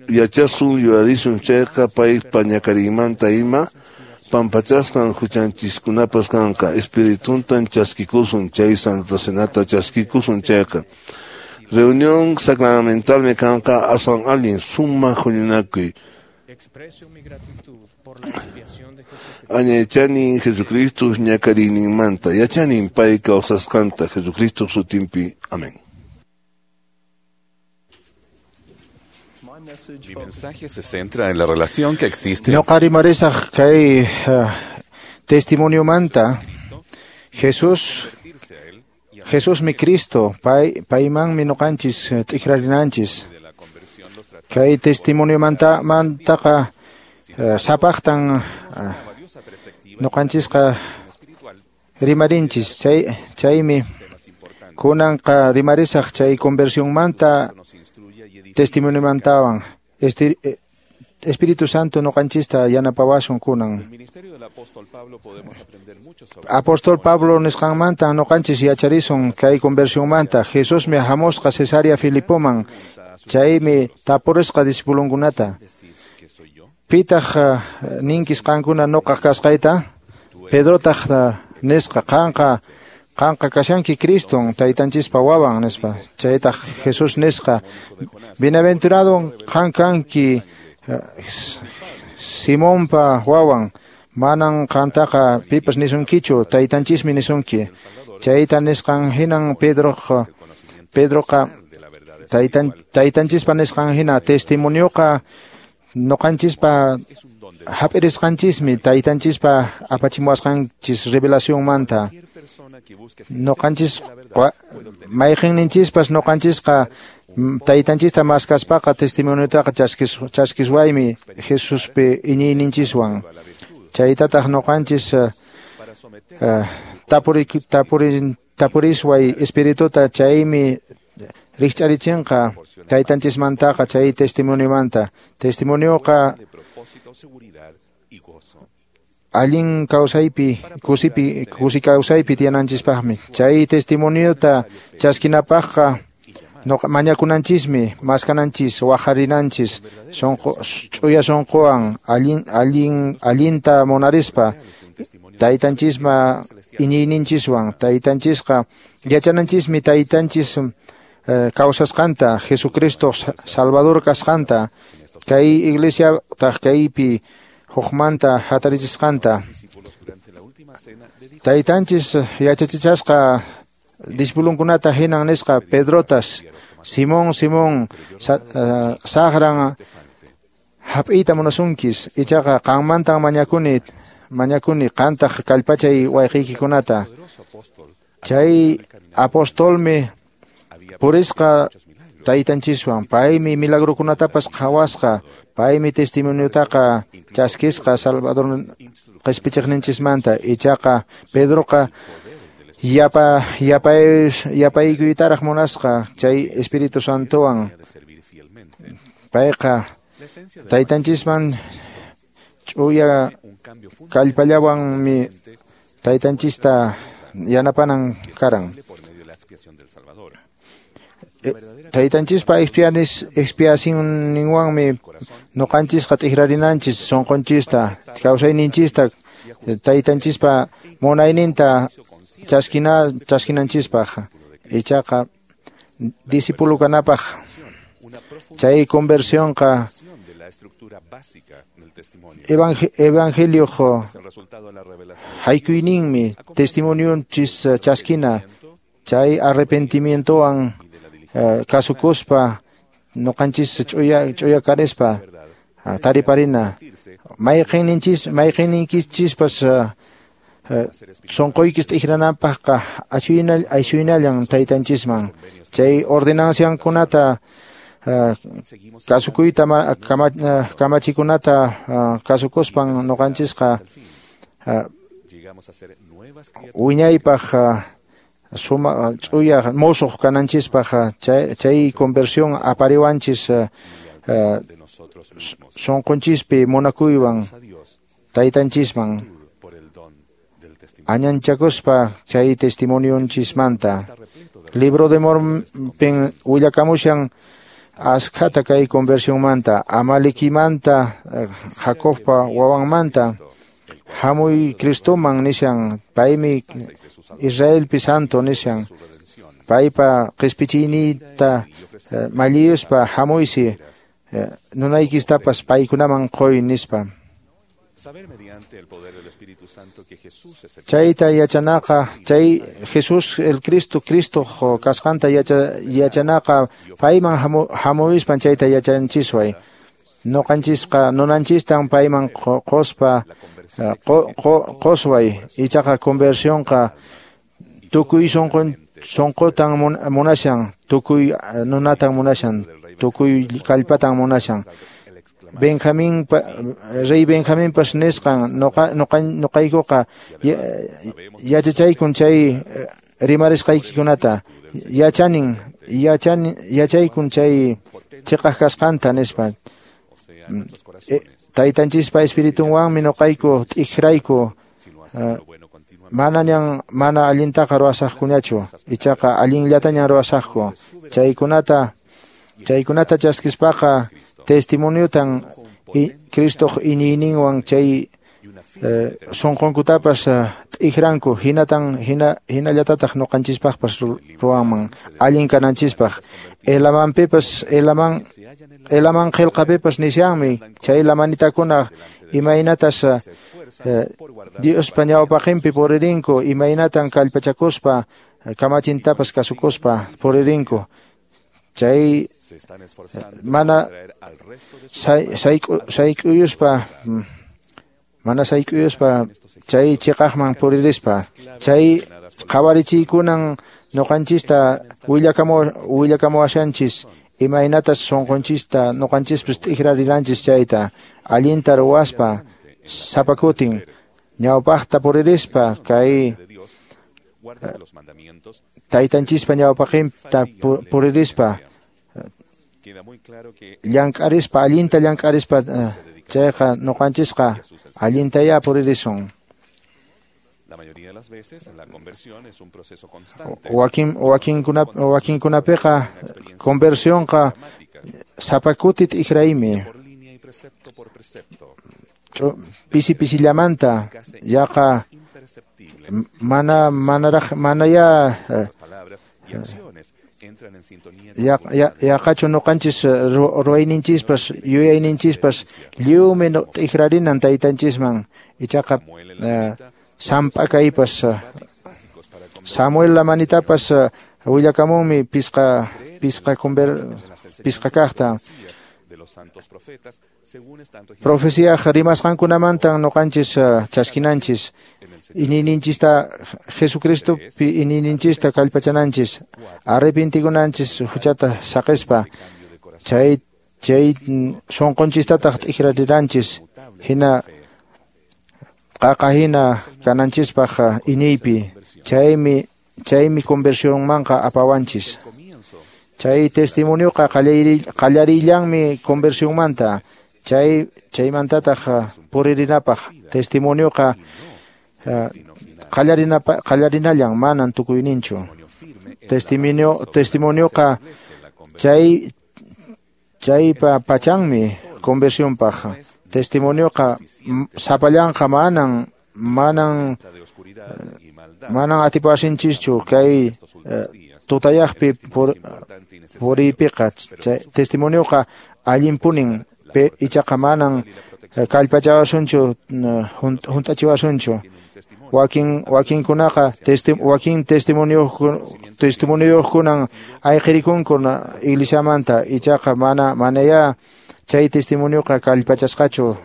yachasun yuyarisun chayqa paypa ñakariymanta ima pampachasqan huchanchiskunapas kanqa. Espirituntan chaskikusun chay Santa Cenata chaskikusun chayqa. Reunión sacramentalmi kanqa aswan allin sumaq huñunakuy. Añaychani Jesucristo ñakariyninmanta yachanin pay kawsasqanta Jesucristo sutinpi. Amén. Mi mensaje se centra en la relación que existe. Ñuqa rimarisaq kay testimoniomanta. Jesusmi Cristo, paymanmi ñuqanchis t'ikrarinanchis. Kay testimoniomantaqa sapaqtan ñuqanchisqa rimarinchis. Chaymi kunanqa rimarisaq chay conversionmanta testimoniomantawan. Espíritu Santo ñuqanchista yanapawasun kunan. Apóstol Pablo nisqanmanta ñuqanchis yacharisun kay conversionmanta. Jesusmi hamusqa Cesarea Filipoman, chaymi tapurisqa discipulunkunata. Pitaq ninkis qankuna ñuqaq kasqayta? Pedrotaq nisqa qanqa kashanki Criston taytanchispa wawan nispa. Chaytaq Jesús nisqa bienaventurado qan kanki Simonpa wawan, manan qantaqa pipas nisunkichu, taytanchismi nisunki. Chayta nisqan hinan Pedroqa taytanchispa nisqan hina testimonioqa ñuqanchispa hap'irisqanchismi taytanchispa apachimuwasqanchis revelacionmanta. Ñuqanchis mayqinninchispas ñuqanchisqa taytanchista maskaspaqa testimoniotaqa chaskiswaymi Jesuspi iñiyninchiswan. Chaytataq ñuqanchis tapurisway espirituta chaymi rikch'arichinqa taytanchismantaqa chay testimoniomanta. Testimonioqa allin kawsaypi kusi kawsaypi tiyananchispaqmi. Chay testimoniota chaskinapaqqa mañakunanchismi, maskananchis, waqarinanchis, ch'uya sunquwan allinta munarispa taytanchisma iñiyninchiswan. Taytanchisqa yachananchismi taytanchis kawsasqanta, Jesucristo Salvador kasqanta, kay iglesia taq kaypi hukmanta hatarichisqanta. Taytanchis yachachichasqa discipulunkunata hinan nisqa Pedrotas, Simón, Simón, saqran hap'iyta munasunkis, ichaqa qanmantan mañakuni qantaq kallpachay wayqiykikunata. Chay apostolmi purisqa taytanchiswan, paymi milagrokunatapas qhawasqa, paymi testimoniotaqa chaskisqa Salvador qispichiqninchismanta. Ichaqa Pedroqa yapaykuytaraq munasqa chay Espíritu Santowan. Payqa taytanchisman ch'uya kallpallawanmi taytanchista yanapanan karan. Taytanchispa expiacionninwanmi ñuqanchisqa t'ikrarinanchis sunqunchista, kawsayninchista, taytanchispa munayninta chaskinanchispaq. Ichaqa discípulo kanapaq chay conversionqa evangelio haykuyninmi testimonionchis chaskina chay arrepentimientowan kasukuspa ñuqanchis ch'uya karispa Tariparina mayqinninchispas sunquykis t'ikrananpaqqa ashuynallan taytanchisman chay ordenanciankunata kasukuyta kamachikunata kasukuspan nuqanchisqa wiñaypaq suma ch'uya musuq kananchispaq chay conversión apariwanchis sunqunchispi munakuywan taytanchisman añanchakuspa chay testimonionchismanta. Libro de Mormonpin willakamushan askhata kay conversionmanta, Amalekimanta, Jacobpa wawanmanta, hamuy Cristoman nishan, paymi Israelpi santo nishan, paypa qispichinita malliyuspa hamuysi nunaykistapas paykunaman qoy nispa. Chayta yachanaqa, chay Jesús el Cristo, Cristo kasqanta yachanaqa payman hamuyuspan chayta yachanchisway. Nuqanchisqa nunanchistan payman qospa qosway, ichaqa conversionqa tukuy sunqutan munashan, tukuy nunatan munashan, tukuy kallpatan munashan. Benjamín, rey Benjaminpas nisqan nuqaykuqa yachachaykun chay rimarisqaykikunata, yachaykun chay chiqaq kasqanta nispa. Taytanchispa espiritunwanmi nuqayku t'ikrayku manañan mana allintaqa ruwasaqkuñachu, ichaqa allinllatañan ruwasaqku. Chaykunata chaskispaqa testimoniotan Cristoq iñiyninwan chay sunqunkutapas t'ikranku, hinatan hinallatataq nuqanchispaqpas ruwanman allin kananchispaq. Elamanpipas Elaman qillqapipas nishanmi chay lamanitakuna imaynatas Diospa ñawpaqinpi puririnku, imaynatan kallpachakuspa kamachintapas kasukuspa puririnku. Chay mana sayk'uyuspa mana sayk'uyuspa chay chiqaqman puririspa chay qhawarichiykunan nuqanchista willakamuwashanchis imaynatas sunqunchista nuqanchispis t'ikrariranchis chayta allinta ruwaspa sapakutin ñawpaqta puririspa kay taytanchispa ñawpaqinta puririspa llank'arispa allinta llank'arispa chayqa nuqanchisqa allintayá puririsun. Wakinkunapiqa conversionqa sapakuti t'ikraymi pisi pisillamanta yaqa manaya yaqachu nuqanchis ruwayninchispas yuyayninchispas lliwmi t'ikrarinan taytanchisman ichaqa samp'akaypas Samuel lamanitapas willakamunmi pisqa kaqta profeciaq rimasqankunamantan nuqanchis chaskinanchis iñiyninchista Jesucristopi iñiyninchista kallpachananchis arrepentikunanchis huchata saqispa chay sunqunchistataq t'ikrariranchis hina qaqa hina kananchispaq iñiypi chaymi conversionmanqa apawanchis. Chay testimonioqa qallarillanmi conversionmanta chaymantataq puririnapaq testimonioqa qallarinallan manan tukuyninchu. Testimonioqa chaypa pachanmi conversionpaq. Testimonioqa sapallanqa manan atipawasinchikchu kay tutayaqpi puriypiqa. Testimonioqa allinpunin ichaqa manan kallpachawasunchu hunt'achiwasunchu. Wakinkunaqa wakin testimonioyuqkunan ayqirikunku iglesiamanta ichaqa manayá chay testimonioqa kallpachasqachu.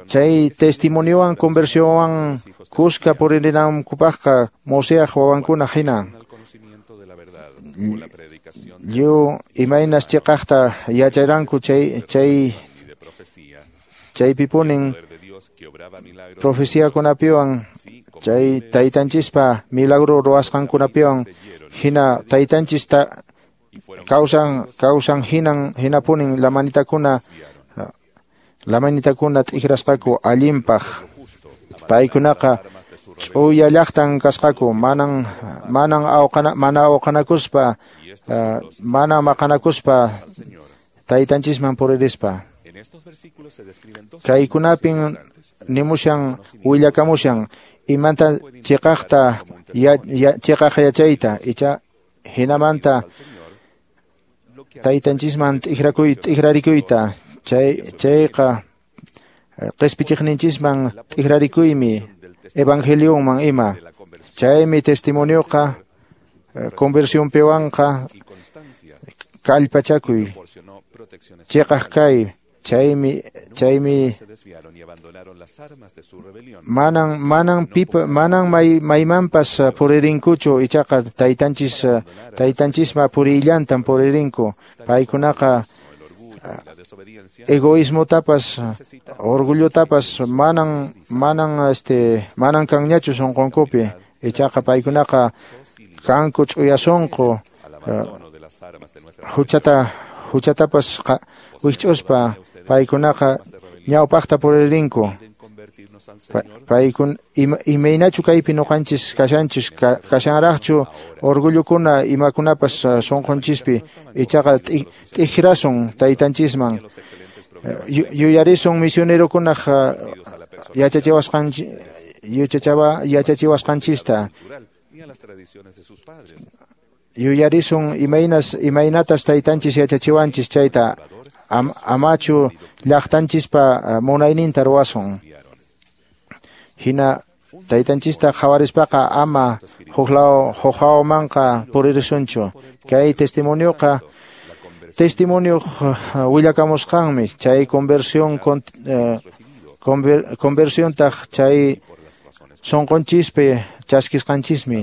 Chay testimoniowan conversionwan kuska puririnankupaqqa Moseaq wawankuna hina. Lliw imaynas chiqaqta yacharanku chaypipunin profeciakunapiwan chay taytanchispa milagro ruwasqankunapiwan hina taytanchis kawsan hinapunin lamanitakuna t'ikrasqaku allinpaq. Paykunaqa ch'uya llaqtan kasqaku, mana awqanakuspa, mana maqanakuspa taytanchisman puririspa. Kaykunapin nimushan willakamushan imanta chiqaqta chiqaq yachayta icha hinamanta taytanchisman t'ikrarikuyta chayqa qispichiqninchisman t'ikrarikuymi evangelionman ima. Chaymi testimonioqa conversionpiwanqa kallpachakuy chiqaq kay. Chaymi manan maymanpas puririnkuchu, ichaqa taytanchisma purillantan puririnku. Paykunaqa egoísmotapas orgullotapas manan kanñachu sunqunkupi, ichaqa paykunaqa kanku ch'uya sunqu huchatapas wikch'uspa paykunaqa ñawpaqta puririnku. Paykun imaynachu kaypi ñuqanchis kashanchis kashanraqchu orgullukuna imakunapas sunqunchispi, ichaqa t'ikrasun taytanchisman. Yuyarisun misionerokunaq yachachiwasqanchista. Yuyarisun imaynatas taytanchis yachachiwanchis chayta, amachu llaqtanchispa munayninta ruwasun. Hina taytanchista qhawarispaqa ama huqlawmanqa puririsunchu. Kay testimonioqa testimonio willakamusqanmi chay conversión conversiontaq chay sunqunchispi chaskisqanchismi.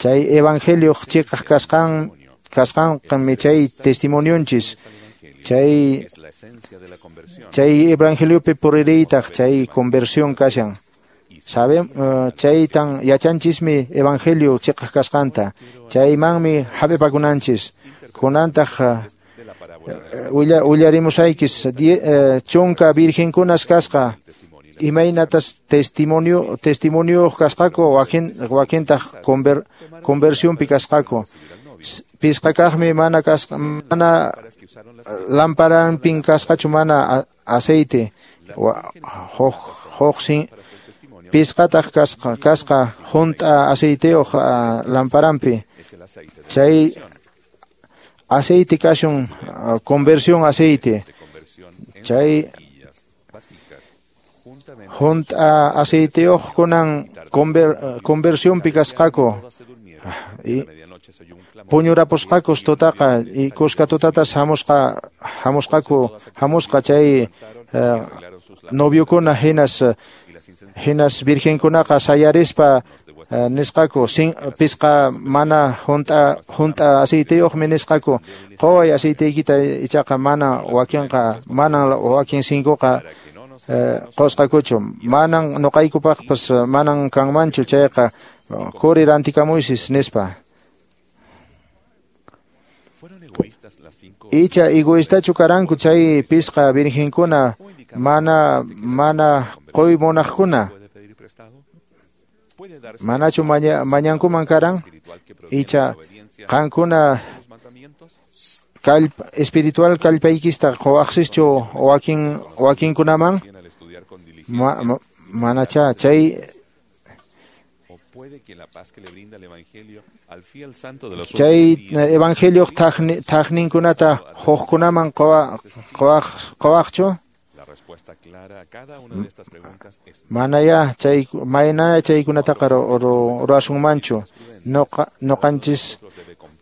Chay evangelio chiqaq kasqanmi chay testimonionchis. Chay evangeliopi puririytaq chay conversión kashan. Chaytan yachanchismi evangelio chiqaq kasqanta. Chaymanmi hap'ipakunanchis. Kunantaq willarimusaykis chunka virgenkunas kasqa. Imaynatas testimonio kasqaku wakintaq conversionpi kasqaku. Pisqakaqmi mana lamparanpin kasqachu mana aceite. Pisqataq kasqa hunt'a aceiteyuq lamparanpi. Chay aceite kashun conversión aceite. Chay hunt'a aceiteyuqkunan conversionpi kasqaku. Puñurapusqakus tutaqa y kuska tutatas hamusqa chay noviokuna hinas virgenkunaqa sayarispa nisqaku pisqa mana hunt'a aceiteyuqmi nisqaku. Quway aceiteykita ichaqa mana wakinqa mana wakin sinkuqa qusqakuchu. Manan nuqaykupaqpas manan kanmanchu chayqa quri rantikamuysis nispa. Icha egoistachu karanku chay pisqa virgenkuna mana quy munaqkuna. Manachu mañankuman karan? Icha qankuna espiritual kallpaykista quwaqsischu wakinkunaman? Manacha chay chay evangelio taqninkunata huqkunaman quwaqchu? Manaya chaykunataqa ruwasunmanchu. Nuqanchis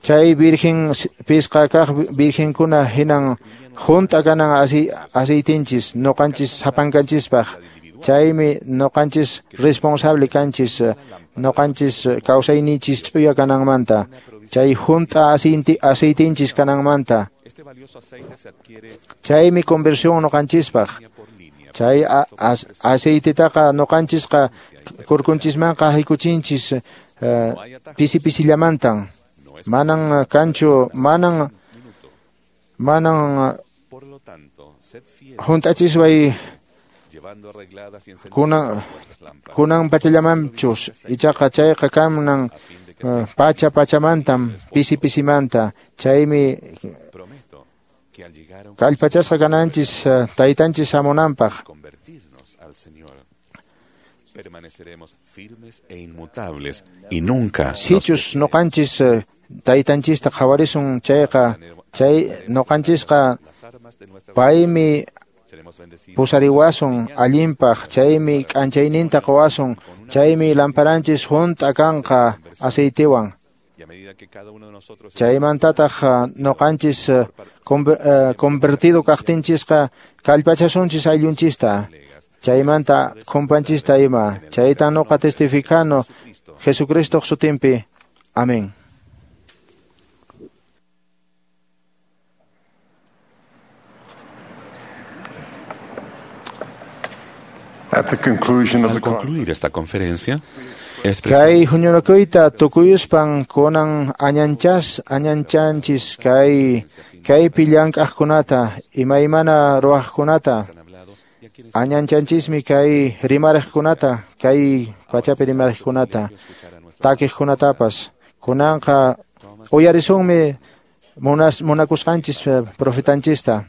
Chay virgen pisqa kaq virgenkuna hinan hunt'a kanan aceitinchis noqanchis sapankanchispaq. Chaymi noqanchis responsable kanchis noqanchis kawsayninchis ch'uya kananmanta. Chay hunt'a aceitinchis kananmanta. Chaymi conversión noqanchispaq. Chay aceitetaqa noqanchisqa kurkunchismanqa haykuchinchis pisi pisillamantan. Manan kanchu, manan hunt'achisway kunan pachallamanchus ichaqa chayqa kanan pacha pachamantam pisi pisimanta. Chaymi kallpachasqa kananchis taytanchis hamunanpaq. Permaneceremos firmes e inmutables y nunca sichus noqanchis taytanchista qhawarisun chayqa chay noqanchisqa paymi pusariwasun allinpaq, chaymi k'anchayninta quwasun, chaymi lamparanchis hunt'a kanqa aceitewan. Chaymantataq noqanchis convertido kaqtinchisqa kallpachasunchis ayllunchista, chaymanta kumpanchista ima. Chayta noqa testificano Jesucristoq sutinpi. Amén. Al concluir esta conferencia, kay huñunakuyta tukuyuspan kunan añanchanchis kay kaypi llank'aqkunata imaymana ruwaqkunata. Añanchanchismi kay rimariqkunata, kay pachapi rimariqkunata, takiqkunatapas. Kunanqa uyarisunmi munakusqanchis profetanchista.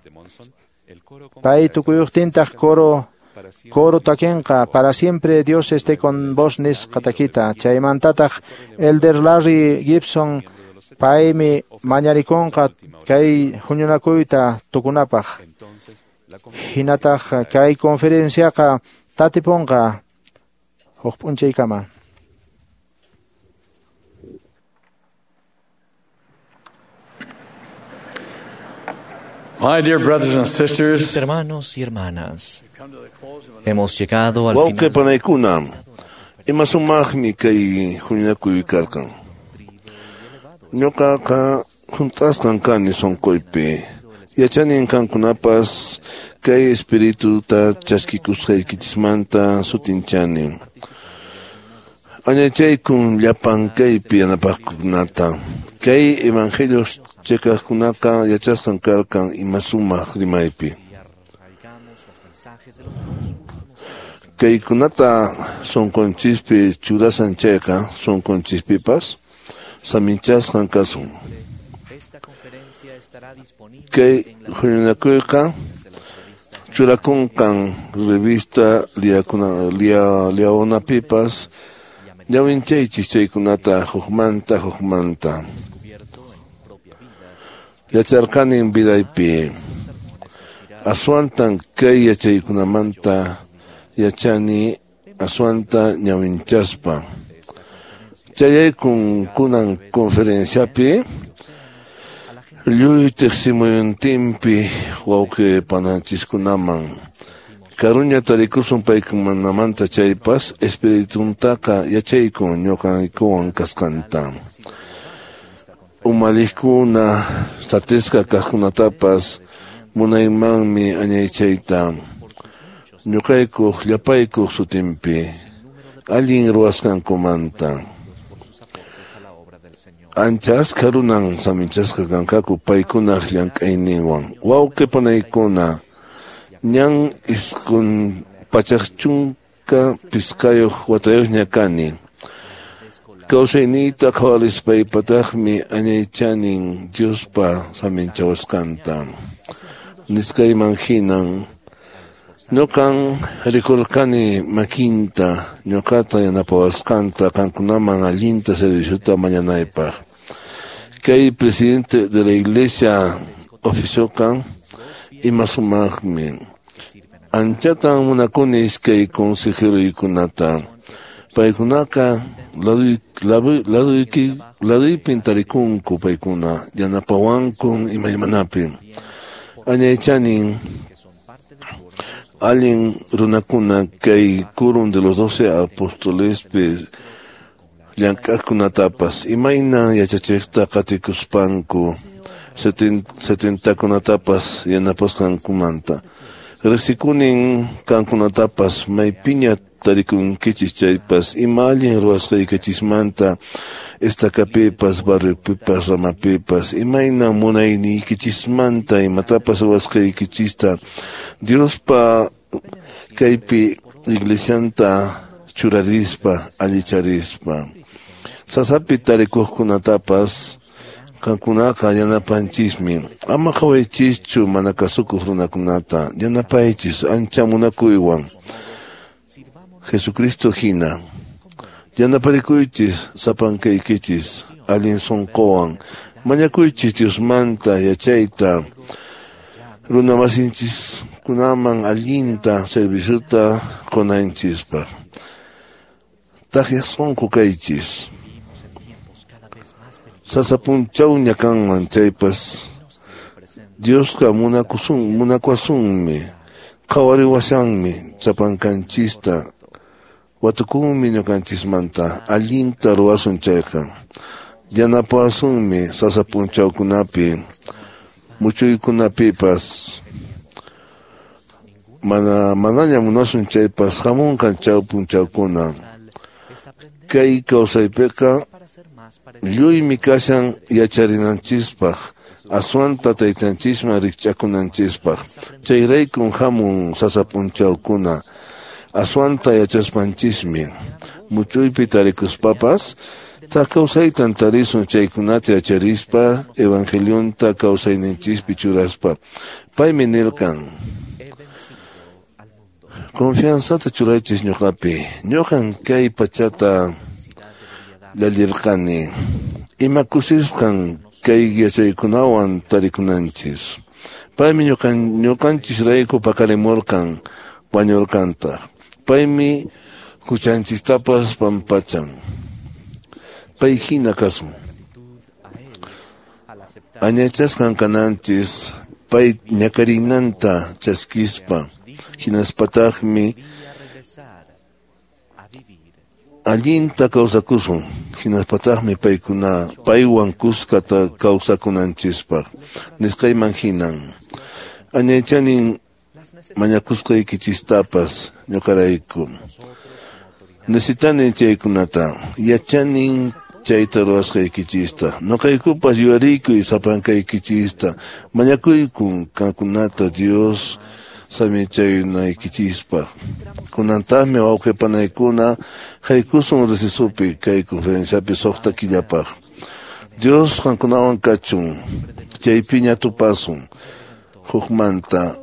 Pay tukuyuqtintaq coro takinqa para siempre Dios esté con vos nisqa takita. Chaymantataq Elder Larry Gibson paymi mañarikunqa kay huñunakuyta tukunapaq. Hinataq kay conferenciaqa tatipunqa huk p'unchaykama. My dear brothers and sisters, mis hermanos y hermanas, hemos llegado al final. Wawqi panaykuna, ima sumaqmi kay huñunakuy karqan. Ñuqaqa hunt'asqan kani sunquypi. Yachanin qankunapas kay espirituta chaskikusqaykichismanta sutinchani. Añachaykun llapan kaypi yanapaqkunata. Kay evangelio cheqaqkunaqa yachasqan karqan ima sumaq rimaypi. Kaykunata sunqunchispi churasan chayqa sunqunchispipas saminchasqan kasun. Kay huñunakuyqa churakunqan revista Liaonapipas ñawinchaychis chaykunata hukmanta hukmanta. Yacharqanin vidaypi. Aswantan kay yachaykunamanta yachani aswanta ñawinchaspa. Chayaykun kunan conferenciapi lluy tiqsimuyuntinpi wawqi pananchiskunaman. Karuña tarikusun paykunamanta chaypas espirituntaqa yachaykun ñuqaykuwan kasqanta. Umalliqkuna satisqa kaqkunatapas munaymanmi añaychayta. Ñuqaykuq llapaykuq sutinpi allin ruwasqankumanta. Ancha askha runan saminchasqa kanqaku paykunaq llank'ayninwan. Wawqi panaykuna, ñan 915 watayuqña kani. Kawsayniyta qhawarispaypataqmi añaychanin Diospa saminchawasqanta. Nisqayman hinan ñuqan rikurqani makinta ñuqata yanapawasqanta qankunaman allinta serviciota mañanaypaq. Kay presidente de la iglesia oficioqa ima sumaqmi. Anchatan munakuni iskay consejeroykunata. Paykunaqa laduypin tarikunku paykuna yanapawankun imaymanapi. Añaychanin allin runakuna kay quórum de los 12 apostolespi llank'aqkunatapas imayna yachachiqta qatikuspanku 70kunatapas yanapasqankumanta. Riqsikunin qankunatapas maypiña tarikunkichis chaypas ima allin ruwasqaykichismanta estacapipas barriopipas ramapipas imayna munayniykichismanta imatapas ruwasqaykichista Diospa kaypi iglesianta churarispa allicharispa. Sasapi tarikuqkunatapas qankunaqa yanapanchismi. Ama qhawaychischu mana kasukuq runakunata, yanapaychis ancha munakuywan Jesucristo hina. Yanaparikuychis sapankaykichis allin sunquwan. Mañakuychis Diosmanta yachayta runamasinchiskunaman allinta serviciota qunanchispaq. Takyaq sunqu kaychis. Sasa punchawña kanman chaypas Diosqa munakuwasunmi, qhawariwashanmi sapankanchista, watukunmi ñuqanchismanta allinta ruwasun chayqa. Yanapawasunmi sasa punchawkunapi, muchuykunapipas. Manaña munasun chaypas hamunqan chaw punchawkuna. Kay kawsaypiqa lluymi kashan yacharinanchispaq, aswanta taytanchisman rikch'akunanchispaq. Chayraykun hamun sasa punchawkuna, aswanta yachaspanchismi. Muchuypi tarikuspapas, thak kawsaytan tarisun chaykunata yacharispa, evangelionta kawsayninchispi churaspa. Paymi nirqan: Confianzata churaychis ñuqapi, ñuqan kay pachata llallirqani. Ima kusisqan kay yachaykunawan tarikunanchis. Paymi ñuqanchisrayku paqarimurqan, wañurqantaq. Paymi huchanchistapas pampachan. Pay hina kasun. Añachasqan kananchis pay ñakarinanta chaskispa, hinaspataqmi allinta kawsakusun, hinaspataqmi paywan kuskata kawsakunanchispaq. Nisqayman hinan. Añaychanin mañakusqaykichistapas ñuqarayku. Necesitanin chaykunata, yachanin chayta ruwasqaykichista. Ñuqaykupas yuyariykuy sapankaykichista. Mañakuykun qankunata Dios samichayunaykichispaq. Kunantaqmi wawqi panaykuna haykusun recesopi kay conferenciapi 6 killapaq. Dios qankunawan kachun, chaypiña tupasun hukmanta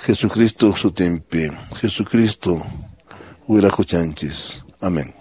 Jesucristo sutinpi. Jesucristo wiraquchanchis. Amén.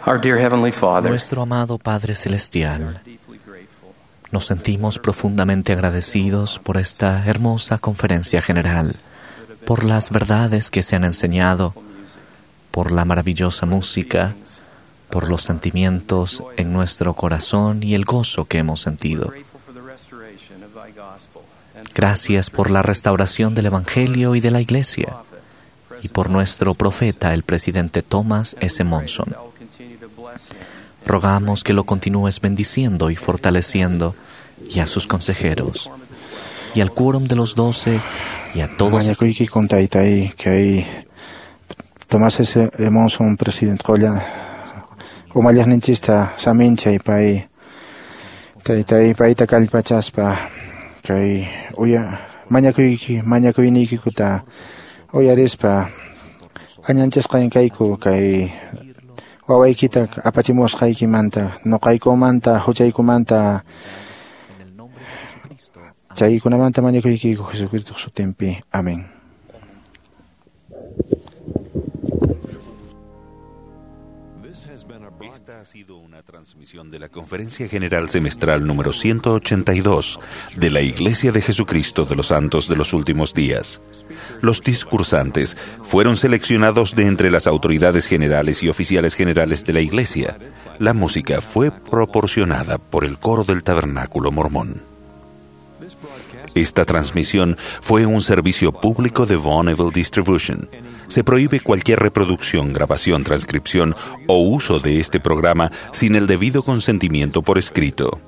Our dear Heavenly Father, Nuestro amado Padre Celestial, nos sentimos profundamente agradecidos por esta hermosa conferencia general, por las verdades que se han enseñado, por la maravillosa música, por los sentimientos en nuestro corazón y el gozo que hemos sentido. Gracias por la restauración del Evangelio y de la Iglesia, y por nuestro profeta, el presidente Thomas S. Monson. Rogamos que lo continúes bendiciendo y fortaleciendo, y a sus consejeros, y al quórum de los 12, y a todos Mañakuyki taytay kay Tomás S. Monson presidente qolla umalliqninchista saminchay pay taytay payta kallpachaspa kay uya mañakuyki mañakuyniykikuta uyarispa añanchasqan kayku kay wawaykita apachimusqaykimanta nuqaykumanta huchaykumanta chaykunamanta mañakuykiku Jesucristo sutinpi. Amén. Esta ha sido una transmisión de la Conferencia General Semestral número 182 de la Iglesia de Jesucristo de los Santos de los Últimos Días. Los discursantes fueron seleccionados de entre las autoridades generales y oficiales generales de la Iglesia. La música fue proporcionada por el coro del Tabernáculo Mormón. Esta transmisión fue un servicio público de Bonneville Distribution. Se prohíbe cualquier reproducción, grabación, transcripción o uso de este programa sin el debido consentimiento por escrito.